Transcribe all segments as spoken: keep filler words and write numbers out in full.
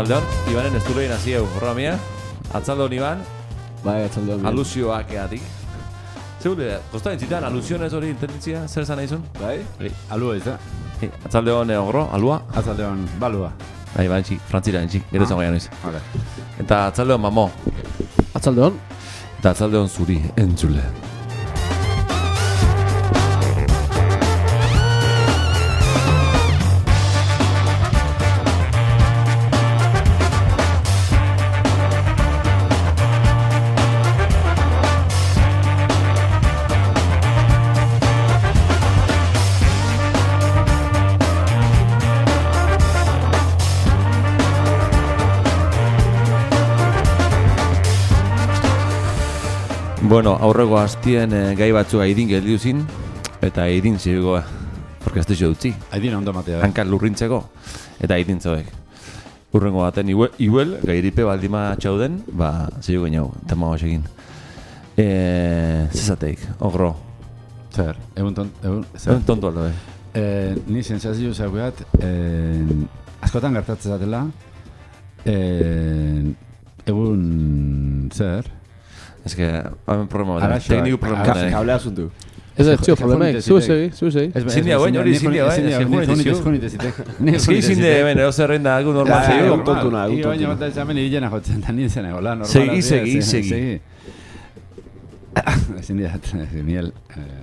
Atzaldeon, Ibanen esturein hasi egu programia. Atzaldeon, Iban. Bai, atzaldeon. Alusioak eatik. Zeure, kostaren zitan, alusionez hori intenditzia, zer zan naizun? Bai? Alua ez da? Atzaldeon, ogro, alua? Atzaldeon, balua. Bai, bai, txik, frantzira, txik, gero zan goian noiz. Vale. Eta atzaldeon, mamo. Atzaldeon. Eta atzaldeon zuri, entzule. Bueno, aurreko hastien eh, gai batzuk aidin gelditu zin, eta aidin zigoa, orkestizio dutzi. Aidin ondo matea. Hankal lurrintzeko, eta aidin zoek. Urrengo baten, iuel, iuel gairipe baldima txauden, ba, zigo geniau, tema hoxekin. E, zezateik, ogro. Zer, egun tont, egun, zer? Egun tontu aldo, eh? Eh, ni sensazio zaugeat, eh, askotan gertatzen zatela, eh, egun, zer? Ez que, hamen problema bat, tekniku problema bat. Kablea asuntu. Ez da, txio, problemek, zu segi, zu segi. Zindia guen, hori zindia guen, ez que Ez que izinde, hemen, edo zerrein da, algo normal zeio. Tontuna, Ego baina bat ez hemen hilena jotzen, da nintzen egola, normal. Segi, segi, segi. Zindia, miel,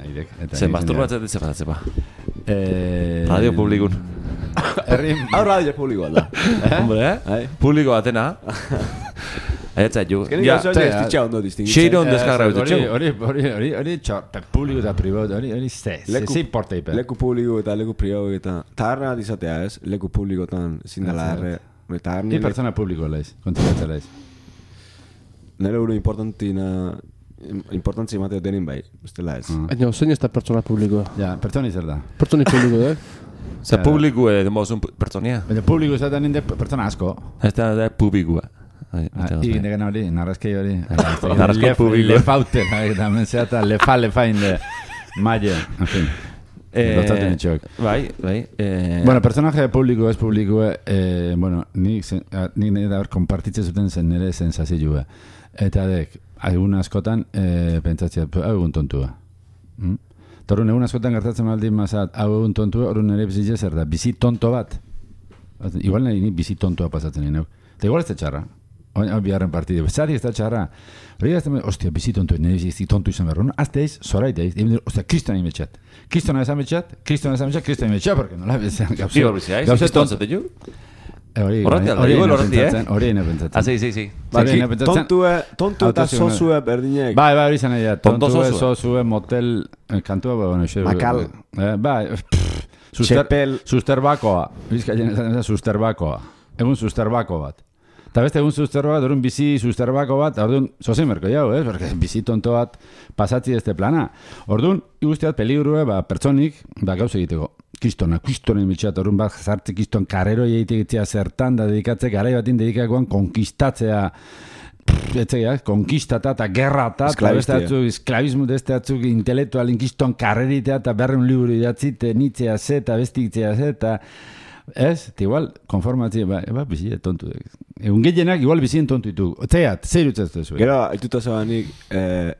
aidek. Zen, masturbatzen ditze bat, zepa. Radio publikun. Hau radio publikoa da. Hombre, eh? Publiko batena. Eta jo. Ja, estitxa ondo distingitzen. Xeiro on deskarra bete txau. Hori, hori, hori, hori, publiko eta privatu, hori, hori, ze, ze importa ipe. Leku publiko eta leku privatu eta taharra dizatea ez, leku publikotan zindala erre. Ni pertsona publiko laiz, kontzeratzea laiz. Nere uru importantina, importantzi mateo denin bai, bestela ez. Baina, zein ez da pertsona publikoa? Ja, pertsoni zer da. Pertsoni publiko, eh? Zer publiko demozun pertsonia? Baina publiko ez da ninde pertsona asko. Ez da publikoa. Egin degen hori, narrazkei hori. Narrazkei publiko. Lefaute, eta menzeata, lefa, lefa inde maile, en fin. Dotaten itxoak. Bai, bai. Bueno, personaje publiko ez publiko, bueno, nik nire da hor kompartitzen zuten zen nire sensazioa. Eta dek, egun askotan pentsatzea, hau egun tontua. Torun egun askotan gertatzen baldin mazat, hau egun tontua, hori nire bizitza zer da, bizi tonto bat. Igual nire bizi tontoa pasatzen nire. Eta igual ez da txarra. Hau biharren partidu. Zari ez da txarra. Hori ez da, ostia, bizi tontu, nire bizi tontu izan behar. Azte eiz, zoraita eiz. Ostia, kriston egin betxat. Kriston egin betxat, kriston egin betxat, kriston egin betxat, porque nola bezan gauzea. Bi horbizi, haiz? Bizi tontzate ju? Hori egin pentsatzen. Ah, sí, sí, sí. Tontu eta sozue berdinek. Bai, bai, hori izan egin. Tontu sozue, motel, kantua, bueno, xe. Makal. Bai, Txepel. Susterbakoa. Bizkaien ezan susterbakoa. Egun susterbako bat. Eta beste egun susterba bat, orduan bizi susterbako bat, orduan zozen merko jau, eh? Porque bizi tonto bat pasatzi este plana. Orduan, igusteat peligrue, ba, pertsonik, ba, gauz egiteko. Kristona, kristonen mitxat, orduan bat zartze kriston karrero egitegitzea zertan da dedikatze, garai batin dedikakoan konkistatzea, etzeak, konkistata eta gerrata, eta beste atzuk, esklabismo deste atzuk, intelektualin kriston karreritea, eta berreun liburu idatzite, nitzea ze, eta bestitzea ze, eta ez, eta igual, konformatzea, ba, eba, bizia tontu. Egun gehienak, igual bizien tontu ditu. Zeat, zer utzazte zuen? Gero, aituta zabanik,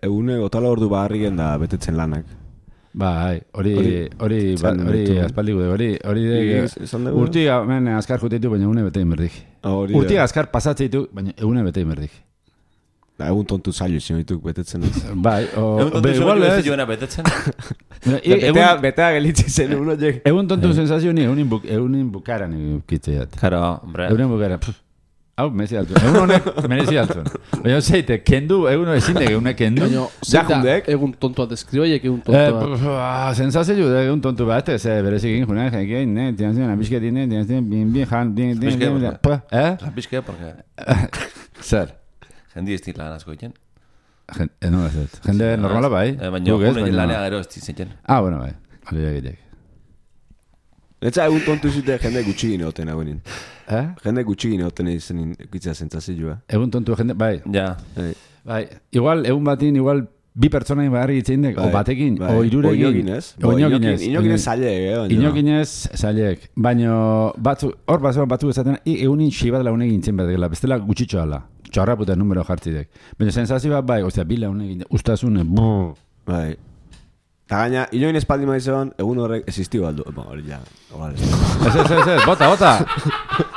egune gotala ordu baharriken da betetzen lanak. Bai, hori, hori, hori, aspaldigu de, hori, hori, urtiga, men, azkar jutetu, baina egune betein berdik. Urtiga azkar pasatzea ditu, baina egune betein berdik. Egun tontu zailo izan dituk betetzen ez. Bai, o... Egun tontu zailo ez joena betetzen. Betea gelitzi zen egun horiek. Egun tontu sensazio ni, egunin bukaran ikitzeat. Karo, hombre. Egunin bukaran, hau, mezi altun. Egun honek, merezi altun. Baina zeite, kendu, egun ezin dek, egunek kendu. Baina, egun tontua deskribaiek egun tontua. Sensazio egun tontu bat, ez berezik egin junak, egin, ne, tiantzen, abisketine, tiantzen, bin, bin, jan, bin, bin, bin, bin, eh? Abiskea, porque... Zer? Jendi ez lan asko egiten. No, ez ez. Jende normala bai. Baina junen lanea gero ez ditzen. Ah, bueno, bai. Hori egitek. Netza egun tontu zute jende gutxi gine hoten agunin. Eh? Jende gutxi gine hoten egiten ikitzea zentzazioa. Egun tontu jende, bai. Ja. Bai. Igual, egun batin, igual bi pertsonai bagarri itzein dek, o batekin, o irurekin. Oinoginez. O inoginez. Inoginez zailek, eh? Inoginez zailek. Baina, batzu, hor bat batzu ezaten, egunin xi bat launekin intzen bat dela, bestela gutxitxo ala. Txarra puta numero jartzidek. Baina, sensazio bat bai, ostia, bi launekin, ustazune, brrr. Bai. Eta gaina, inoginez paldi maizean, egun horrek existio aldu. Ba, hori ja, igual ez. Ez, ez, ez, ez, bota, bota.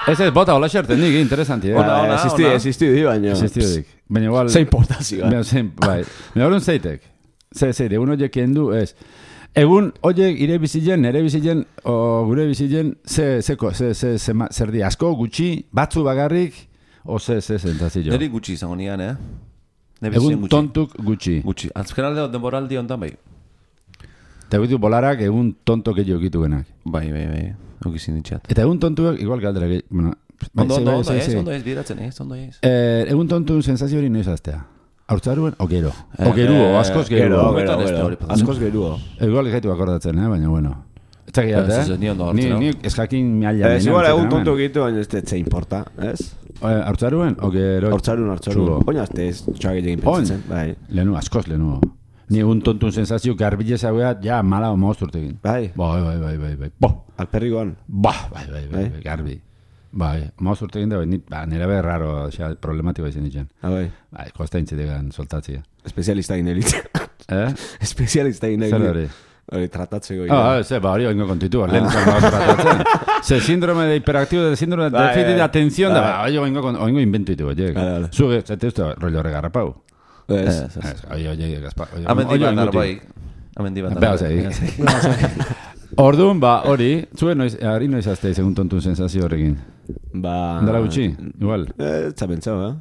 Ez, ez, bota, hola xerten dik, interesanti, eh? Ona, ona, existio, existio di, baina. Existio dik. Baina igual... Zein portazioa. Baina, zein, bai. Baina, hori zeitek. Ze, ze, egun horiek kendu, ez. Egun horiek ire bizilen, nere bizilen, o gure bizilen, ze, zeko, ze, ze, ze, zer di, asko, gutxi, batzu bagarrik, o ze, ze, zentazio. Neri gutxi izango nian, eh? Egun tontuk gutxi. Gutxi. Azkenalde denboraldi ontan bai. Eta egitu bolarak egun tontok egin okitu genak. Bai, bai, bai. Okizin ditxat. Eta egun tontuak, igual galdera, bueno... Ondo, ondo, ondo ez, ondo ez, biratzen ez, ondo ez. Egun tontun sensazio hori noiz aztea. Hortzaruen, o gero. O geruo, askoz geruo. Askoz geruo. Igual gaitu akordatzen, eh, baina bueno. Etxakiat, eh? Ni ondo hartzen. Ni eskakin miaila. Ez igual egun tontu egitu, baina ez tetze importa, ez? Hortzaruen, o gero. Hortzaruen, hortzaruen. Oina azte ez, txagilekin pentsatzen, bai. Lehenu, askoz lehenu. Ni egun tontun sensazio garbile zauea, ja, mala o mozturtekin. Bai. Bai, bai, bai, bai, bai. Bo. Alperrikoan. Ba, bai, bai, bai, bai, garbi. Bai, mozturtekin da, bai, ba, nire behar raro, xa, problematikoa izan ditzen. Ah, bai. Bai, kosta intzidegan soltatzia. Espezialista inelitzen. Eh? Espezialista inelitzen. Zer hori? Hori tratatzeko. Ah, ze, ba, hori oingo kontitu, lehen zan tratatzen. Ze síndrome de hiperactivo, de síndrome de déficit de atención, da, hori oingo inventu ditu, oie. Zuge, zete uste, rollo regarrapau. Ez, ez. Oie, oie, Gaspar. Amendi bat darbai. Amendi bat darbai. Orduan, ba, hori, zuen noiz, ari noiz azte segun tontun sensazio horrekin. Ba... Dara gutxi, igual. Ez zapentzau, eh?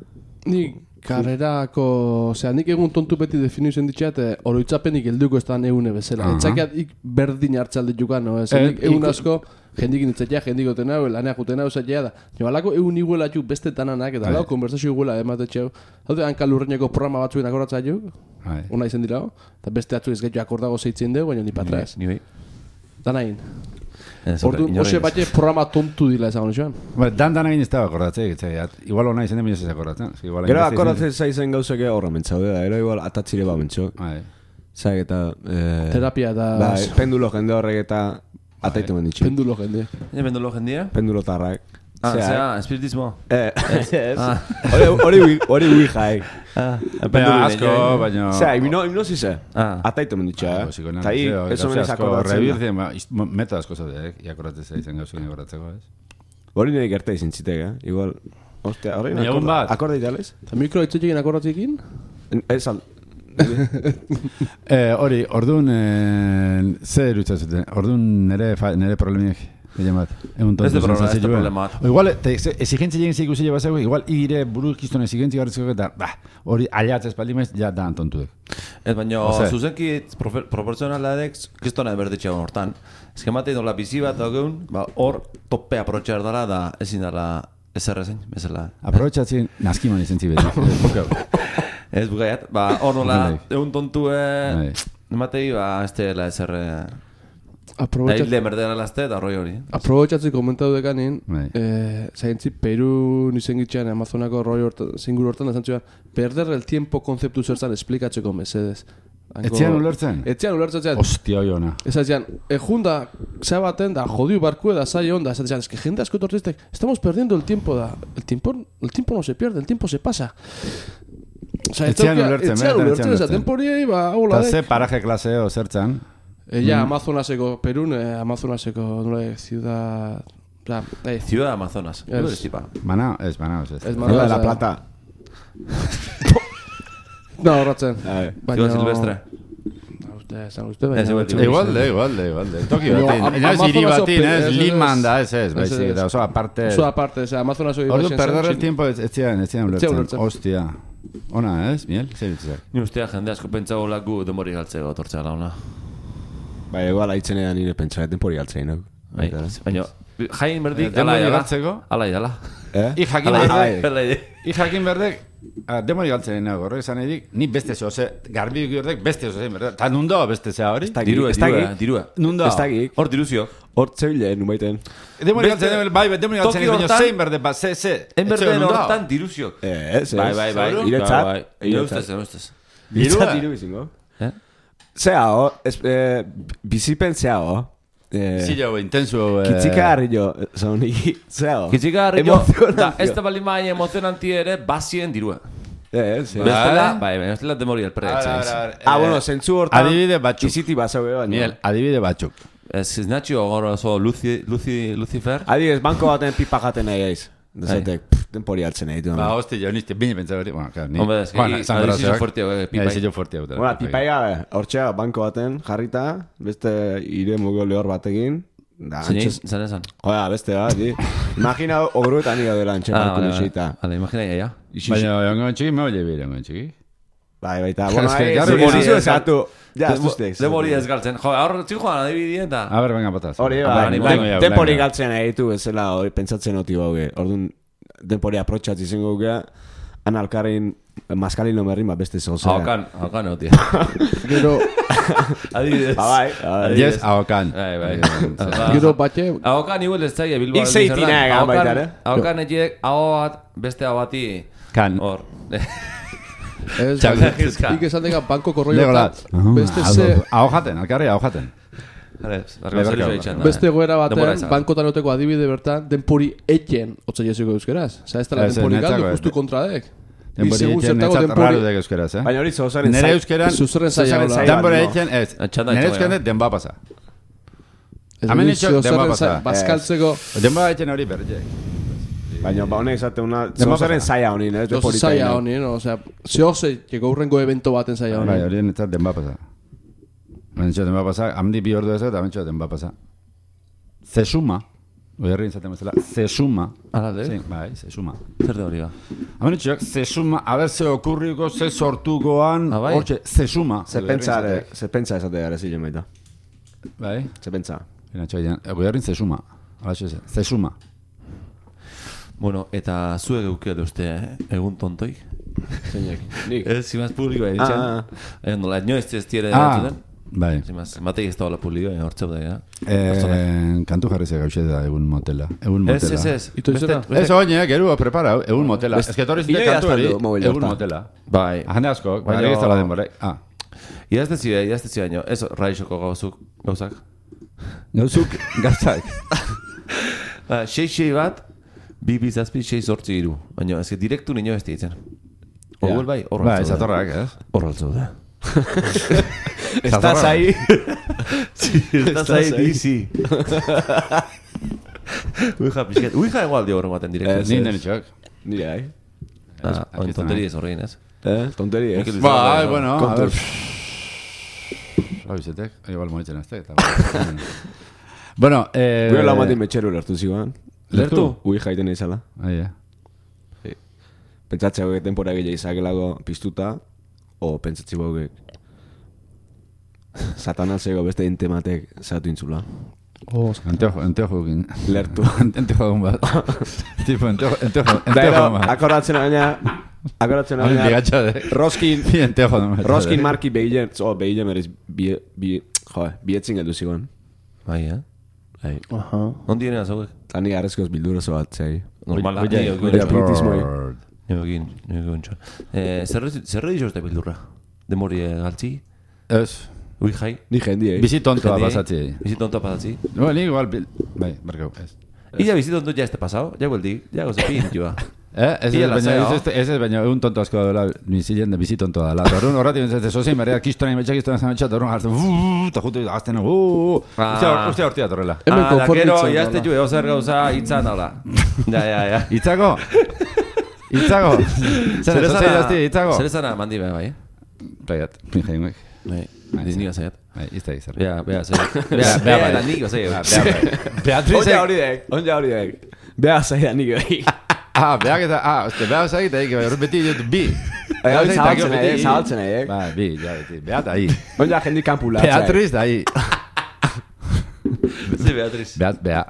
Ni karrerako, osea, nik egun tontu beti definu izan ditxat, oroitzapenik helduko ez da egune bezala. Etxakiat ik berdin hartzalde jukan, no? Ez egun asko, jendikin itzatea, jendiko tenau, lanea jutena usatea da. Jo, alako egun iguela ju beste tananak, eta alako konversazio iguela ematetxeu. Hau da, hanka lurreneko programa batzuen akordatza ju, ona izan dira, eta beste atzu ez gaitu akordago zeitzen dugu, baina ni patra ez. Ni bai. Danain. Ordu, ose batxe programa tontu dila ezagun joan. Dan dan egin ez da akordatzea, igual hona izan den ez akordatzen. Gero akordatzen zaizen gauzake horra mentzaude da, ero igual atatzire ba mentxo. Zaik eta... Terapia eta... Pendulo jende horrek eta ataitu menditxu. Pendulo jende. Pendulo jendea? Pendulo tarrak. Ah, zera, espiritismo. Eh, ez. Hori ui jaik. Baina asko, baina... Zera, hipnosi ze. Ataitu menditxu, eh? Ta hi, eso menez akordatzen. Rebirtzen, meta asko zaude, iakordatzea izan gauzun iakordatzeko, ez? Hori nire gerta izin zitek, eh? Igual, ostia, horrein akorda idealez? Eta mikro itzetxekin akordatzekin? Ez al... Hori, orduan, zer erutzatzen, orduan nire problemiek. Ez de problema, ez de problema. Igual, exigentzi egin zik usile bazago, igual ire burukiztun exigentzi garritzeko eta, bah, hori aliatz espaldi maiz, ja da antontuek. Ez baina, zuzenki proporzionaladek, kristona eberditxe hortan. Ez que matei dola bizi bat dagoen, hor tope aprotxar dara da ezin dara ezer ezen, bezala. Aprotxatzen, naskiman izan zibeti. Ez bugaiat, hor nola, egun tontue, matei, ez dela ezer... Da hilde merdera lazte eta roi hori. Aprobetxatzi komentatu dekanin, zaintzi, Peru nizengitxean Amazonako roi zingur hortan da zantzua, perder el tiempo konzeptu zertzan esplikatzeko mesedez. Etzian ulertzen? Etzian ulertzen zean. Ostia hoi ona. Ez zean, ejunda, zea baten da, jodiu barkue da, zai onda, ez zean, es que gente asko tortiztek, estamos perdiendo el tiempo da, el tiempo, el tiempo no se pierde, el tiempo se pasa. Etzian ulertzen, etzian ulertzen, eza temporiei, ba, hola dek. Eta ze paraje klaseo zertzan? Ella, Amazonaseko, Perun, Amazonaseko, nole, ciudad... Ciudad Amazonas. Manao, ez, Manao, ez. Ez Manao de la Plata. No, horretzen. Ciudad Silvestre. Igual de, igual de, igual de. Tokio batin. Ez hiri batin, ez, Liman da, ez, ez. Baizik, eta oso aparte... Oso aparte, ez, Amazonas hori... Ordu, perder el tiempo, ez zian, ez zian ulertzen. Ostia. Ona, ez, Miel? Zer bitzak? Ni ustea jende asko pentsago lagu demori galtzeko tortzea launa. Bai, igual haitzen edan nire pentsa tempori galtzein, no? Baina, jain berdik, ala idala. Ala idala. Eh? I jakin berdek, i jakin berdek, demori galtzen nago, horrek esan edik, ni beste zeo, ze, garbi berdek beste zeo zein, berdek? Ta nundo beste zea hori? Dirua, dirua, dirua. Nundo. Hor diruzio. Hor zebilen, numaiten. Demori galtzen, bai, demori galtzen, baina zein berdek, ba, ze, ze. En berden hortan diruzio. Ez, ez. Bai, bai, bai. Iretzat. Ire ustez, ire ustez. Bintzat diru izingo. Eh? Zea, ho, es, eh, bizipen zea, ho. Eh, Zilo, intenso... Eh... Kitzika harri jo, zauniki, zea, ho. Kitzika harri jo, da, ez da bali maia emozionanti ere, bazien dirua. Eh, zea. Bestela, bai, bestela demori el preetxe. Ah, bueno, zentzu hortan... Adibide batzuk. Iziti bazau baina. Miguel, adibide batzuk. Ez Nacho goro oso Luci, Luci, Lucifer. Adibidez, banko baten pipa jaten nahi aiz. Dezatek, denpori hartzen nahi ditu. Ba, hosti, jo nizte, bine pentsa berri. Bueno, claro, ni... Hombre, es que adizio fuerte pipa. Adizio fuerte. Bueno, pipa ega, hortxea, banko baten jarrita, beste ire mugo lehor batekin. Zan esan? Joa, beste bat, di. Imagina ogruetan nire dela antxen Ah, balko vale, nixeita. vale, imagina ya. Baina, ongo txiki, me oye bire, ongo txiki. Bai, baita, bueno, Es que, ahí, claro, demori sí, ezatu. Ja, ez duztek. Demori ez galtzen. Jo, ahora txiko joan adibidien eta... A ver, venga, pataz. Hori, Ah, bai, bai, den- bai, denpori galtzen nahi ditu bezala, hori pentsatzen oti bauge. Orduan, denpori aprotxatzi zengo gea, han alkarrein maskalin lomerrin, ba, beste zozera. Haukan, haukan hau, tia. Gero, Adibidez. Ba, bai, bai. Yes, ahokan. Bai, bai. gero batxe, Haukan igual ez zaila Bilbao. Ik zeitina egan baita, ere? Haukan etxek, hau bat, beste hau bati... Kan. Hor. ez, Txak, eskizka. ik esan dega banko korroi Legolat. beste ze, Ahojaten, alkarri ahojaten. Barka zerio itxan da. beste goera Denbora batean, izan. bankotan oteko adibide bertan, denpori etxen, otza jesiko euskeraz. Osa, ez dela Ez, denpori netzako galdu, ez. justu kontradek. Denbori segun etxen zertago netzat denbori- raro dek euskeraz, eh? Baina hori zozaren Nere euskeran... Zuzurren zaila Zuzaren hola. zaila. Denbora no. etxen, ez. Txanda Nere etxoa, euskeran ja. denba pasa. Ez Hemen dut itxo, zuzurren denba zaila, pasa. bazkaltzeko, Denba etxen hori berriek. Baina, ba, honek zate una... Denba Zozaren pasa. zaila honin, ez? oso Denpori zaila taino. honi, no? Osea, zehose, que gaurrengo evento baten zaila Bai, honi. hori netzat denba pasa. Hemen txo denba pasa, hamdi bi ordu ez eta hemen txo denba pasa. Zesuma, oierri inzaten bezala, zesuma. Ala, de? Sí, bai, zesuma. Zer de hori ba? Hemen txoak, zesuma, a ber, ze okurriko, ze sortukoan, Ah, bai? hortxe, zesuma. Ze pentsa, ere, ze pentsa esate gara zilen baita. Bai, Ze pentsa. ina txoian, oierri zesuma. Alaxe, zesuma. Bueno, eta zuek eukio uste, eh? Egun tontoi. Zeinek. Nik. Ez, zimaz publikoa Ah, editzen. ah. Eh, nola, etnio ez ez tiere Ah, erantzuten. bai. Zimaz, matei ez da hola publikoa, eh, hortzeu da, ja. Eh, kantu jarri ze gauxe da egun motela. Egun Ez, motela. ez, ez. Ito Beste- izena? beste- Ez oine, geru prepara, egun motela. Ez que torri zite Inoiz kantu hori, azaldu mobil egun hortan. motela. Bai. Jende asko, Baina- baina ez da denbora. Ah, Idazte zide, idazte zide baino, ez raixoko gauzuk, gauzak. gauzuk gauzak. Ba, sei sei bat, bi bizazpi, sei zortzi iru. Baina, ez que direktu nino ez ditzen. Orduel bai, horra Ba, ez atorrak, ez? Horra altzau da. Estás ahí. Sí, estás ahí, dizi. Uija, pixket. Uija igual dio horren baten direktu. Ez, Ni ez. nene txok. Nire, ai. Ah, oin aquí tonteri ez horrein, ez? Eh, tonteri, ez? Mikel Ba, Bizarra, bueno, a Kontuz. ver. Ba, bizetek, igual monitzen azte. Bueno, eh... Gure lau matin metxeru lertu ziguan. Lertu? Ui jaiten izala. Ahí, eh. Pentsatzea hauek tempora gehiago izakelago piztuta, o pentsatzi hauek satanasego beste intematek zatu intzula. Oh, Anteojo, anteojo egin. Lertu. Anteojo egun bat. Tipo, anteojo, anteojo, Da, anteojo ero, egun bat. akordatzen baina, akordatzen Hori baina, bigatxa de. Roskin, Bi anteojo egun bat. Roskin marki behilen, oh, behilen berriz, bi, bi, jo, bietzin geldu zigoan. Bai, eh? Bai. aha. Ondi diren azauek? Tani garrezkoz bildurazo bat, zei. Normala, Oia, nio oia, egin espiritismoi. Nio egin, nio egin txon. Zerre dizo uste bildurra? Demori galtzi? Ez. Ui jai? Ni jendi, eh? Bizi tontoa Jende, pasatzi. Bizi tontoa pasatzi? No, ni igual, bil- bai, barkau, ez. Illa bizi tonto ya este pasado, ya vuelti, ya gozo pin, joa. Eh, ez Ia ez, baina lasai, ez ez ez baina egun tonto asko dela bizilen de bizi tontoa dela. Orrun horrati ez sozi merea kistona imetxa kistona zametxa orrun hartzen. Ta jutu azten. Uh, Ah. ustea ustea hortia torrela. Hemen Ah, da gero, konformitzen jazte dola. jo, eo zer gauza hitzan hola. Ja, ja, ja. Itzago. Itzago. Zer ez ez itzago. Zer esana mandi be bai. Paiat, pinjainguek. Bai, Bai, disniga zaiat. Bai, izta izar. Bea, bea, zer. Bea, Bea, bea, bea, bai. da nigo zei. Beatriz. Onja hori dek, onja hori dek. Beha zaida nik bai. Ah, beak eta ah, uste beak zait eta que beti dut bi. Bai, zabaltzen nahi, zabaltzen nahi, eh? Bai, bi, ja, beti. Beat ahí. Onja jendi kampula. Beatriz da ahí. Ze Beatriz. Beat, bea.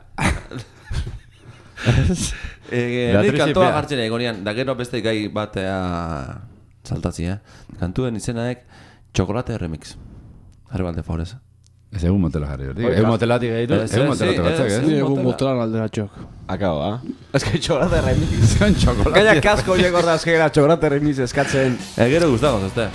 Eh, Beatriz ni kantoa Bea. jartzen egonian, da gero beste gai batea saltatzi, eh? Kantuen izenaek Chocolate Remix. Jarri balde favorez. Ez egun motela jarri hori. Oiga. Egun motelatik gehitu, Ez, egun ez, motelatik sí, batzak, ez, ez? Ni egun motela. motelan aldera txok. Akabo, ah? Ez que txokolate remix. Zon txokolate. Gaina kasko horiek ordaz gera txokolate remix eskatzen. Eh, gero gustagoz, este.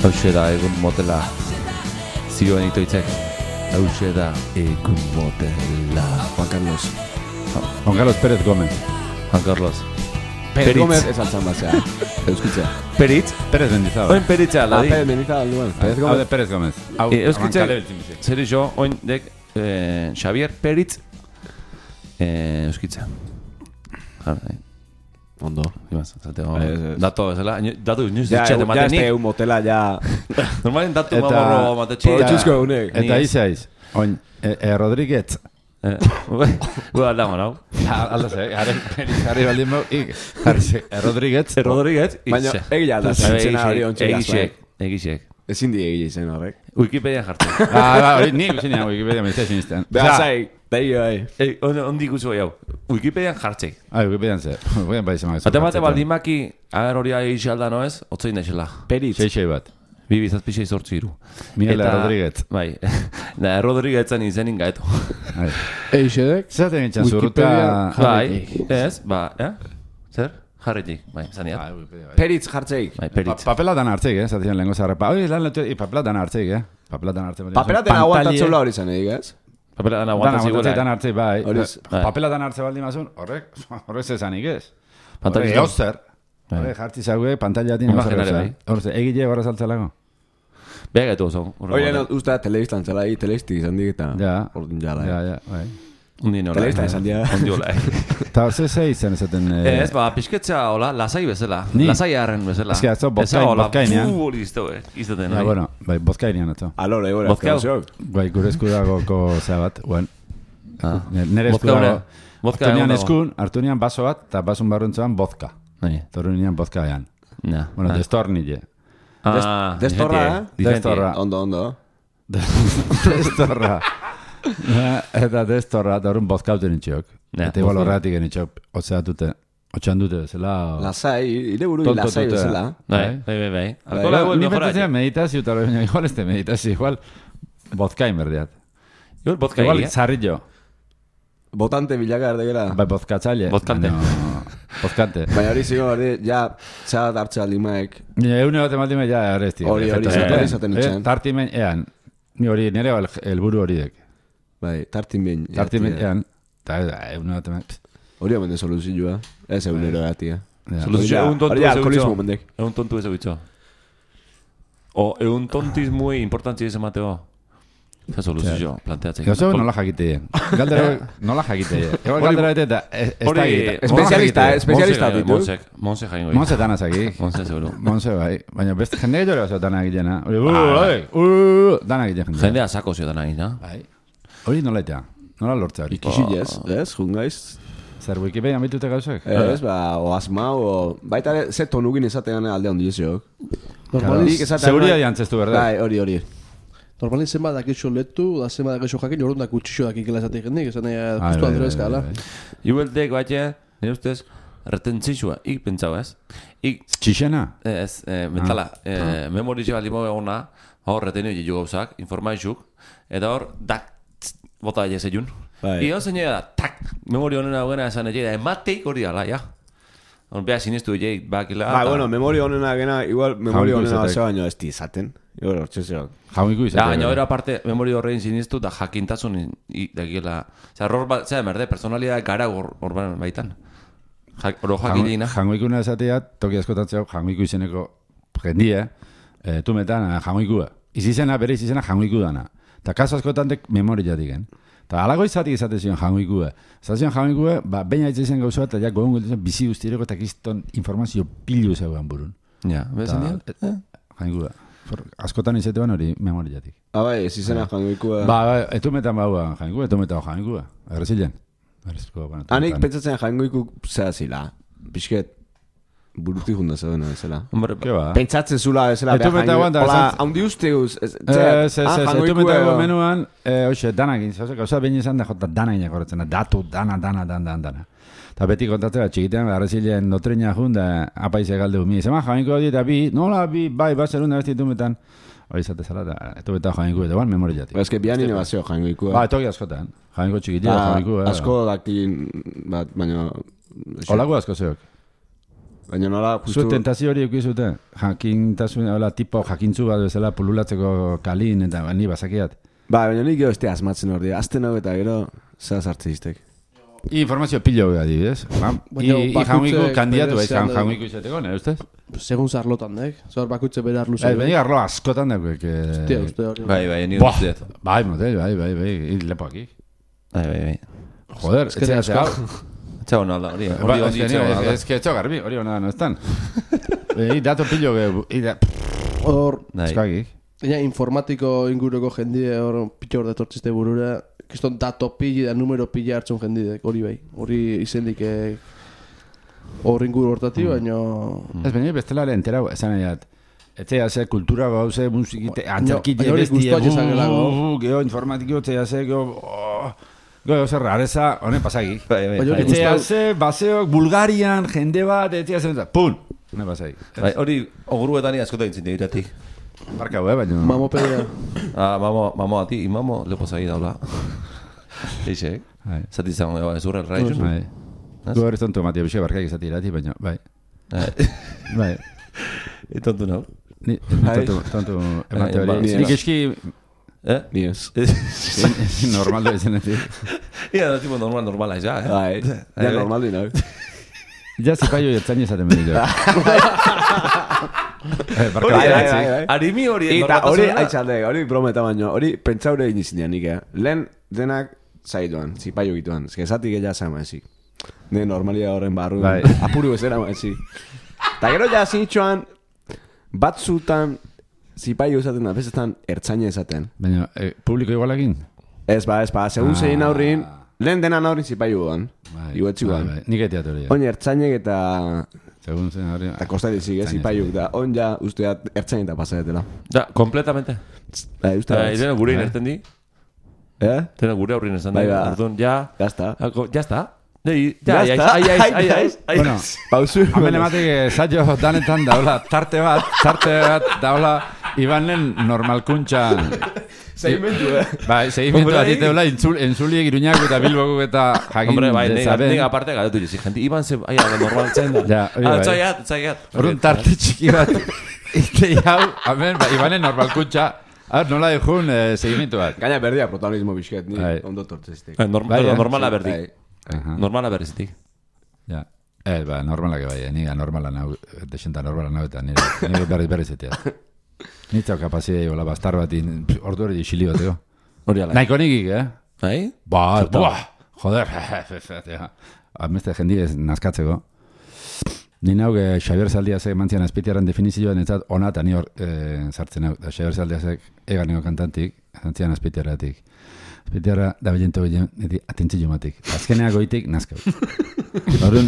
Hauxe da egun motela. Zioen itoitzek. Hauxe da egun motela. Juan Carlos. Juan Carlos Pérez Gómez. Juan Carlos. Pérez Peritz. Gómez ez altzan batzea. Euskitza. Peritz. Pérez Mendizábal. Oin peritza, Ah, ladi. Pérez Mendizábal duan. Pérez Hau de Gómez. Pérez Gómez. Hau, Eh, Euskitza, abankale beltzimizi. zer iso, oin dek eh, Xavier Peritz eh, Euskitza. Jara, eh. Ondo. Imaz, zateo, Ez, ez. dato bezala, ino- datu inoiz Ja, ditxet ja ematenik. este un motela ja... Normalen datu Eta- mamorro matetxi. Eta- Txuzko egunek. Ni Eta ez. izaiz. Oin, e, e, Rodríguez. Eh, Gu aldama, nau? Alda ze, garen Pérez jarri baldin bau. Ik, jarri ze, e, Rodríguez. Rodríguez, Baina, itxe. egia da, zintzena hori ontsi Egixek, egixek. Ezin di egia izen horrek. Wikipedian jartzen. Ah, ba, hori nik usinean Wikipedia meizte sinisten. Beha zai, behi bai. Ei, on- ondik uzu hau. Wikipedian jartzek. Ah, Wikipedian ze. Wikipedian bai zemak. Ate bate baldimaki, agar hori egixalda noez, otzein daixela. Peritz. Sei, sei bat. Bi bizazpixei sortzi iru. Miguel Eta- Rodríguez. Bai. Da, Rodríguezan izenin gaetu. Bai. Eixedek, Zaten gintzen Wikipedia zurruta... Bai, ez, ba, eh? Zer? Jarretik, bai, zaniat. Ah, Wikipedia, bai. Peritz jartzeik. Bai, Pa, peritz. papela dan hartzeik, eh? Zaten lehenko zarra. Pa, oi, lan letu... Papela dan hartzeik, eh? Papela dan hartzeik. Papelaten aguantatzula hori zan edik, ez? Papela dan Dan aguantazik aguantatzei dan gula. hartzeik, bai. Horiz. Bai. Papela dan hartze baldin mazun, horrek, horrek zezanik ez. Pantalla Horrek, izan. eozer. Bai. Horrek, jartzi zague, pantailatin Imaginare, bai. Horrek, egile horra saltzalako. Beha gaitu oso. Oire, no, usta telebistan zela, hi telebistik izan dik eta... Ja. Ordun jala, Ja, eh. ja, bai. Undi nola. Telebista izan dira. Undi hola, eh. Eta hor, ze ze izan ezaten... eh, Ez, ba, pixketzea hola, lasai bezala. Ni? Lasai harren bezala. Ez que atzo bozkain- Eza hola, bozkainean. fu hori izteu, eh. Izaten, Ja, hori. bueno, bai, bozkainian atzo. Alore, gure, Bozkau. azkau. Bai, gure esku dagoko zea bat, guen. Ah. Nere esku Vodka dago. une. Vodka Hartu nian egon dago. eskun, hartu nian baso bat, eta basun barruntzuan vodka. Bai. Torru nian vodka ean. Na. Bueno, ah. destornille. Ah, destorra, diferentie, eh? diferentie. Destorra. Ondo, ondo. Destorra. Eta destorra, eta horren vodka hauten itxeok. Ja, Eta igual vodka. horretik genitxeok, otzea dute, otxean dute, zela... Lasai, ire buru Tonto lasai tute. bezala. Bai, bai, bai, bai. Alkola Igual, guen Ni mejora. pentsatzea meditazio, eta baina igual este meditazio, igual vodka inberdiat. Igual vodka Igual egia. zarrillo, Botante bilaka erdegera. bai vodkatzaile. Vodkante. baina- Vodkante. Baina hori zigo, hori, ja, txat hartza aldimaek. Ni eune bat ematime ja arresti. Hori, hori, efektu. hori Eh, izaten eh, itxen. Tartimen ean. Ni hori nire el, helburu horiek. Bai, tartin behin. Tartimen jatia. ean. Eta eune bat emat. Hori omen de soluzioa. Ez egunero gatia. Soluzio, egun tontu Hori ez alkoholismo egitzo. mendek. Egun tontu ez egitzo. O, egun tontismui importantzia ez emateo. Zer soluzio, planteatzen. Gauza nola jakite. Galdera nola jakite. Igual galdera bete eta ez ez da egite. Espezialista, eh, espezialista ditu. Monsek, Monse jaingo. Monse danaz aquí. Monse seguro. Monse bai. Baina beste jende gehiago oso dana egitena. Hori, uh, oi, uh, dana egiten jende. Jendea sako zio dana egin, Bai. Hori nola etea. Nola lortzea hori. Ikixilez, ez, jungaiz. Zer Wikipedia mitute gauzek? Ez, ba, o asma, o... Baita ere, ze tonugin ezatean alde handi eziok. normaliz, Seguridad jantzestu, verdad? Bai, hori, hori. normaliz zenba dakixo letu, da zenba dakixo jakin, orduan da kutxixo dakikela esatik jendik, esan nahi, Ai, justu bai, andro bai, ezkala. bai, bai. Iueltek batxe, nire ustez, retentzitsua, ik pentsau ez. Ik, Txixena? ez, eh, mentala, eh, memoritxe bali mo egona, hor retenio jilu gauzak, informaizuk, eta hor, dak, tzt, bota daia zeiun. Bai. Ion zein da, tak, memori honena hogena esan egin, da, emateik hori ala, ja. Hor, beha sinistu egin, bakila. Ba, bueno, memoria honena gena, igual memoria Jaunko honena izatek. zeo baino ez di izaten. Igual, hortxe zeo. Jaumiku Ja, izatea. baina hori aparte, memori horrein sinistu, da jakintasun, i- dakila, oza, error bat, zera, merde, personalidad gara hor hor baitan. Ja- Oro jakilina. Jangoikuna esatea, toki askotatzea, jangoiku izeneko jendia, eh, tumetan jangoikua. Izizena, bere izizena jangoiku dana. Eta kaso askotan dek memoria digen. Eta alago izatik izate zion jangoikua. Zazion jangoikua, ba, baina itzezen gauza bat, eta ja gogun gelditzen bizi guztireko eta kiston informazio pilu zegoen burun. Ja, bezan dira? eh, Jangoikua. For- Askotan izatean hori memoriatik. Ah, bai, ez izena jangoikua. Ba, ba, etumetan baua jangoikua, etumetan jangoikua. Errezilen. Erreziko, bueno. Hanik tumetan. pentsatzen jangoiku zera zila. Pisket, buruti junda zeuden ezela. Hombre, Ke ba? Pentsatzen zula ezela Etu beta guanta, Hola, esan- haundi uste guz. Ez, Ez, ez, ez, etu metago menuan. menuan, eh, hoxe, danak egin, zauze, gauza behin izan da, jota dana egin horretzen, datu, dana, dana, dana, dana, dana. Eta beti kontatzea, txikitean, arrezilen dotrina junda, apaize galde mi, zema jainko di, eta bi, nola bi, bai, baserunda besti etu metan, hori izate zela, eta etu meta jainko, eta ban memoriatik. Ez que bian inebazio jangoikua. Ba, etoki askotan, jainko txikitia, Ah, jainko, asko dakin, bat, baina... Olago asko zeok. Baina nola, justu... Zu tentazio hori eukizute? Jakintasun, hola, tipo jakintzu bat bezala pululatzeko kalin, eta ni bazakiat. Ba, baina nik gero este asmatzen hori. Azten hau eta gero, zera sartze iztek. Informazio pilo hori adibidez. Ba, I, i jaungiku kandiatu ez, jaungiku izateko, nire ustez? Segun zarlotan, dek. Zor bakutze bere arlu bai, baina arlo askotan dagoek. Hostia, uste hori. Bai, bai, ni Buah, usteet. bai, motel, bai, bai, bai, bai, lepoak ik. Bai, bai, bai. Joder, etxea ze hau. Etxea hona da, hori. Ba, Hori ez hori que etxea hona da. ez que etxea garbi, hori hona no estan. I dato pilo ge, i da... Hor, Bai. Eskagik. ja, informatiko inguruko jendide hor pitxor detortziste burura. Kiston dato pili da numero pili hartzen jendidek, hori bai. Hori izendik hor inguru hortati, baina... Ez baina bestela lehen entera, esan nahi dat. Etzea ze kultura gauze, musikite, antzerkite, baina hori bestie, gustuak ezagelago. geho informatiko, etzea ze, geho... Geho zer rareza, honen pasagik. Bai, bai. Baina hori Etzea gustau- ze, baseok, Bulgarian, jende bat, etzea zen, pun! Honen pasagik. Bai, hori ogruetan ni askotan intzin iratik. Barkau, eh, baina... Mamopedia. Ah, mamo, mamo ati, imamo lepo zagi daula. Eixek. Bai. Zati zango, eba, ezurra erraizun. Bai. Gu hori tontu matia bisio barkaik izati irati, baina, bai. Bai. Etontu nau. Ni, ni tontu, tontu emate Bai, hori. bai. Nik eski Eh? Ni ez. normaldo izenetik. Ia, da tipo normal, normala, ja, eh? Bai, ja normal dina. Ja zipaio jertzain esaten behar dira. Eh, barkau, Bai, bai, bai, bai, bai. Arimi hori Eta hori, normaltasuna. aitzalde, hori brometa baino, hori pentsaure egin izinean nik, eh? Lehen denak zaidoan, zipaio gituan. Ez que esatik ella zama ezik. Ne normalia horren barru, Bai. apuru bezera ma ezik. Ta gero ja zinitxoan, batzutan zipaio esaten da, bestetan ertzaina esaten. Baina, eh, publiko igualakin? Ez ba, ez ba, segun Ah. zein aurrin, lehen denan aurrin zipaio guan. Bai, Iguetzi bai, guan. bai. Nik etiat hori. Oin ertzainek eta... Segun zen hori... Eta kosta dizik, ez, zipaiuk, da on ja usteat ertzain eta pasadetela. Ja, kompletamente. Bai, uste Bai, bat. dena gure Bai. inerten di. Eh? Dena gure aurrin esan Bai, di. ba. Orduan, ja... Ya está. Ako, ya está. Nei, ja, Ya ai, está. ai, ai, ai, ai, ai, Bueno, Pausu. hamen ematik saio danetan daula tarte bat, tarte bat daula Ibanen normalkuntza. Segimentu, eh? Bai, segimentu Hombre, bat diteula intzul, entzuliek iruñak eta bilboko eta jakin Hombre, bai, nega, dezaben. nega aparte galatu jizik, gente, iban ze, ai, ala, normal zen da. Ja, hori Ah, bai. txaiat, txaiat. Horren tarte txiki bat. Ite hau, hamen, ba, Ibanen normalkuntza. Ah, nola dejun eh, segimentu bat. Gaina berdia protagonismo bizket, ni Bai. ondo tortzestik. Eh, norm, Bai, eh? normala berdi. Aha. Normala berdizik. Ja. Eh, ba, normalak bai, eh, niga normala nau, desenta normala nau eta nire, nire berriz berriz etea. Nitzau kapazidei, hola, bastar bat, in- ordu hori xili bateko. Hori ala. Nahiko nikik, eh? Bai? Ba, Zertan? buah, joder, ameste jendi ez nazkatzeko. Ni nau, eh, Xabier Zaldiazek mantzian azpitiaren definizioan etzat ona eta ni hor eh, sartzen hau. Da Xabier Zaldiazek eganeko kantantik, mantzian azpitiaratik. Azpitiara da bilento bilen, eti atentzio matik. Azkeneak goitik nazkau. Horren,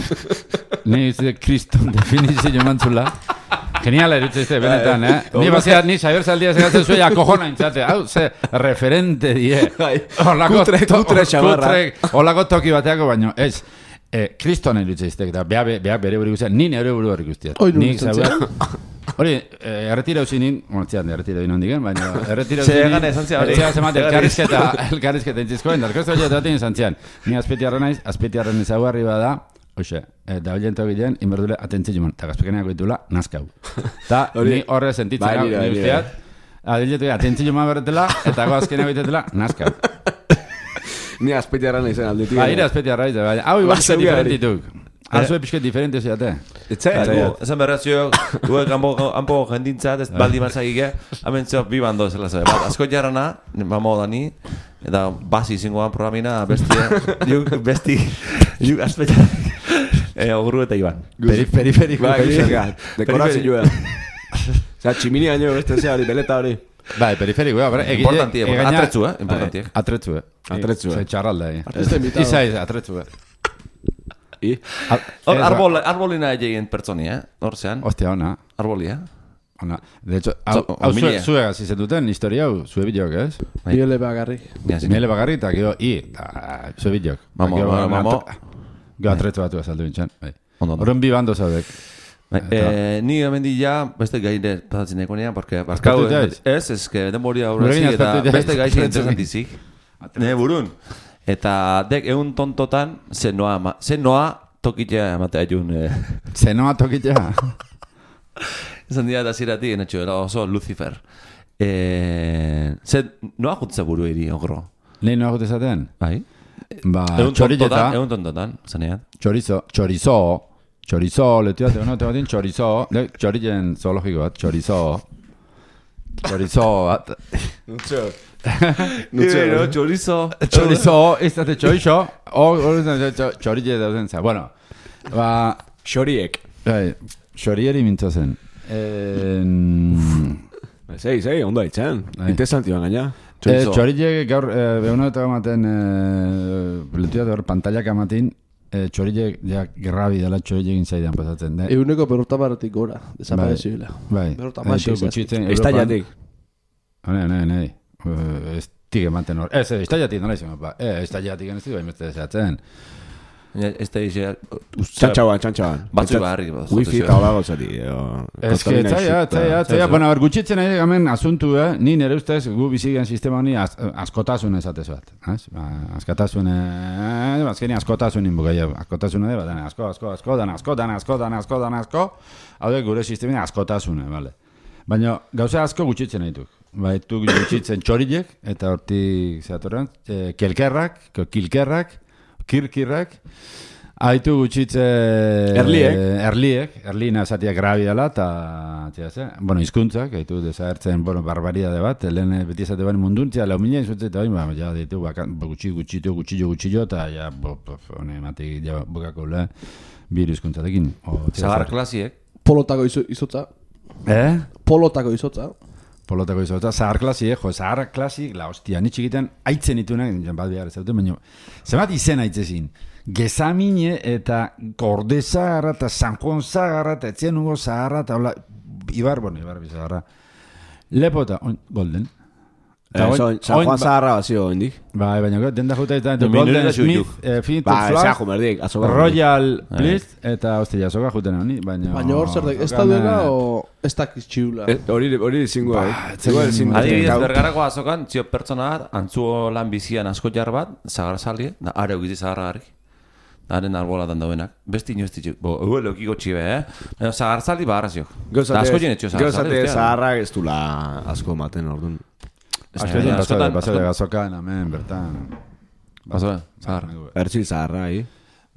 ni izte kriston definizio mantzula. Geniala erutzezte, benetan, eh? Ni baziat, ni Xabier Zaldiazek gatzen zuea kojona intzate. Hau, ze referente die. Bai. Olako Kutre- to- kutre xamarra. kutre- Olako toki bateako baino, ez. Eh, kriston erutzezte, eta beha, beha bere buri guztiak, ni nire buru hori guztiak. Hoi, nun Nik izan zaua- Hori, eh, erretira usi nin, bueno, txian, erretira usi nondik, baina erretira usi Ze nin, egan esan zea hori. etxea zemate, Egan elkarrizketa, elkarrizketa intzizkoen, darkostu hori eta izan zian. Ni azpetiarra naiz, azpetiarren ezaugarri bada, hoxe, eh, da bilento gilean, inberdule atentzio man, eta gazpekeneak ditula, nazkau. Ta, Hori- ni horre sentitzen Bai, hau, nire, ni nire. usteat, adiletu atentzio man berretela, eta goazkeneak ditetela, nazkau. Ni azpetiarra nahi zen aldetik. Ba, ire azpetiarra izan, baina, hau igual Ba, pixket zeuga hori. diferentituk. Azue pixket diferente ziate. Etzai, Gu, esan berrazio, gu kanpo kanpo jendintzat, ez baldi marzagike, hemen zeo bi bando zela zabe. Bat, asko jarrana, mamo dani, eta basi zingoan programina, bestia, juk, besti, juk azpetxar, eh, ogru eta iban. Peri, periferiko. Ba, gizaka, dekorazioa. Osa, tximini gaino beste zea hori, beleta hori. Bai, periferiko, ja, bera, egile... Importantie, egaina- atretzu, eh, importantiek. Bai, Atretzu, eh. Atretzu, eh. Ze txarralda, eh. Artista invitado. Izaiz, atretzu, eh. I? Hor, Ez, arbol, arbolina egin pertsoni, eh, hor zean, Ostia, ona. arbolia. Ona. De hecho, hau, Zo- hau zue, milia. zuegaz izen duten historia hau, zue bideok, ez? Bai. Biole bagarrik. Mira, Miele bagarri eta gero, i, eta zue bideok. Mamo, Gero, mamo, mamo. Gero atretzu batu azaldu bintzen. Bai. Ondo, ondo. Horren bi bando zaudek. Bai, eh, ni hemen di ja, beste gaire pasatzen nekonean, porque barkau, Azpertu jaiz? ez, ez, que denbori Gurekin aurrezi, eta azpertu jaiz. beste gaixi Azpertu interesantizik. Ne burun. Eta dek egun tontotan, ze noa, ma- ze noa tokitea ematea jun, eh, Zenoa tokitea. Esan dira eta zirati, netxo, oso Lucifer. Eh, zer, noa jutza buru eri, ogro? Lehin noa jutezaten? Bai? Ba, Egun txorileta. tontotan, egun tontotan, zanean. Chorizo, chorizo, chorizo, letu bat, no, te batin chorizo, le, txorilen zoologiko bat, chorizo, chorizo bat, Nutxo. Nutxo, chorizo. chorizo, ez date chorizo, hor txorile dauzen za, bueno, ba, Xoriek. bai, xorieri mintzozen. Zei, zei, ondo haitzen. Bai. Interesanti ban gaina. Eh, txorile gaur, behuna eta ematen, letu bat hor, pantallak ematen, eh, txorile, ja, gerrabi dela txorile egin zaidan pasatzen, de. Eguneko berrota baratik gora, desaparezibila. Bai, Berrota bai, masi tu izan. gutxitzen, Estaiatik. Ne, ne, ne. Uh, ez tig ematen hor. Ez, ez, estaiatik nola izan, ba. Eh, estaiatik ez ditu baimeste desatzen. Ez da ize... Txantxauan, txantxauan. Batzu barri. Wifi eta hola gozati. Ez que, zaila, zaila, zaila. Bueno, ber, gutxitzen nahi gamen asuntu, eh? Ni nire ustez gu bizigen sistema honi az, askotasun ezatez bat. Ez? Ba, askotasun, eh, azkeni askotasunin bukaia. Askotasun edo, dana, asko, asko, asko, dana, asko, dana, asko, dana, asko, dana, asko. Hau da, gure sistemina askotasune, bale. Baina, gauza asko gutxitzen nahi duk. Baitu gutxitzen txorilek, eta hortik zeatorren, eh, kelkerrak, kilkerrak, kirkirrak, haitu gutxitze... Erliek. Erliek, erlina esatiak grabi dela, eta, bueno, izkuntzak, haitu desagertzen, bueno, barbaridade bat, lehen beti esate bani munduntzia, lau mila izutze, eta baina, ja, ditu, gutxi, gutxitu, gutxillo, gutxillo, eta, ja, hone, matik, ja, bukako, le, biru izkuntzatekin. Zagar klasiek. Polotako izo- izotza. Eh? Polotako izotza. Polotako izotza, zahar klasi, eh? Jo, zahar klasi, la hostia, ni txikitan aitzen itunak, bat behar ez dute, baina, zemat izen aitzezin, gezamine eta Gordezagarra eta San Juan Zagarra eta etzien nugo Zagarra eta hola, Ibar, bueno, Ibar Bizagarra, lepota, oin, Golden. San Juan Zagarra bazio indik. Bai, baina denda juta eta Minurera Golden zuitu. Smith, eh, Finito Ba, Flash, zago merdik, azoka. Royal Bliss, eta hostia, soka juten honi, baina... Baina hor zer dek, ez da duela o ez dakiz txiula. Hori, hori zingua, eh? zen- Zingua, Adibidez, bergarako azokan, zio pertsona bat, antzu lan bizian asko jar bat, zagar sali, da are egizi zagarra gari. Haren arbolatan dauenak. Besti inoz ditxik, bo, ue leukiko txibe, eh? Baina zagar sali baharra ziok. Da asko jenetxio zagar sali. Gauzate zaharra ez dula asko maten orduan. Askotan, basade, askotan- basade gazokan, hemen, bertan... Bazo, zagar. Ertzil zaharra, hi?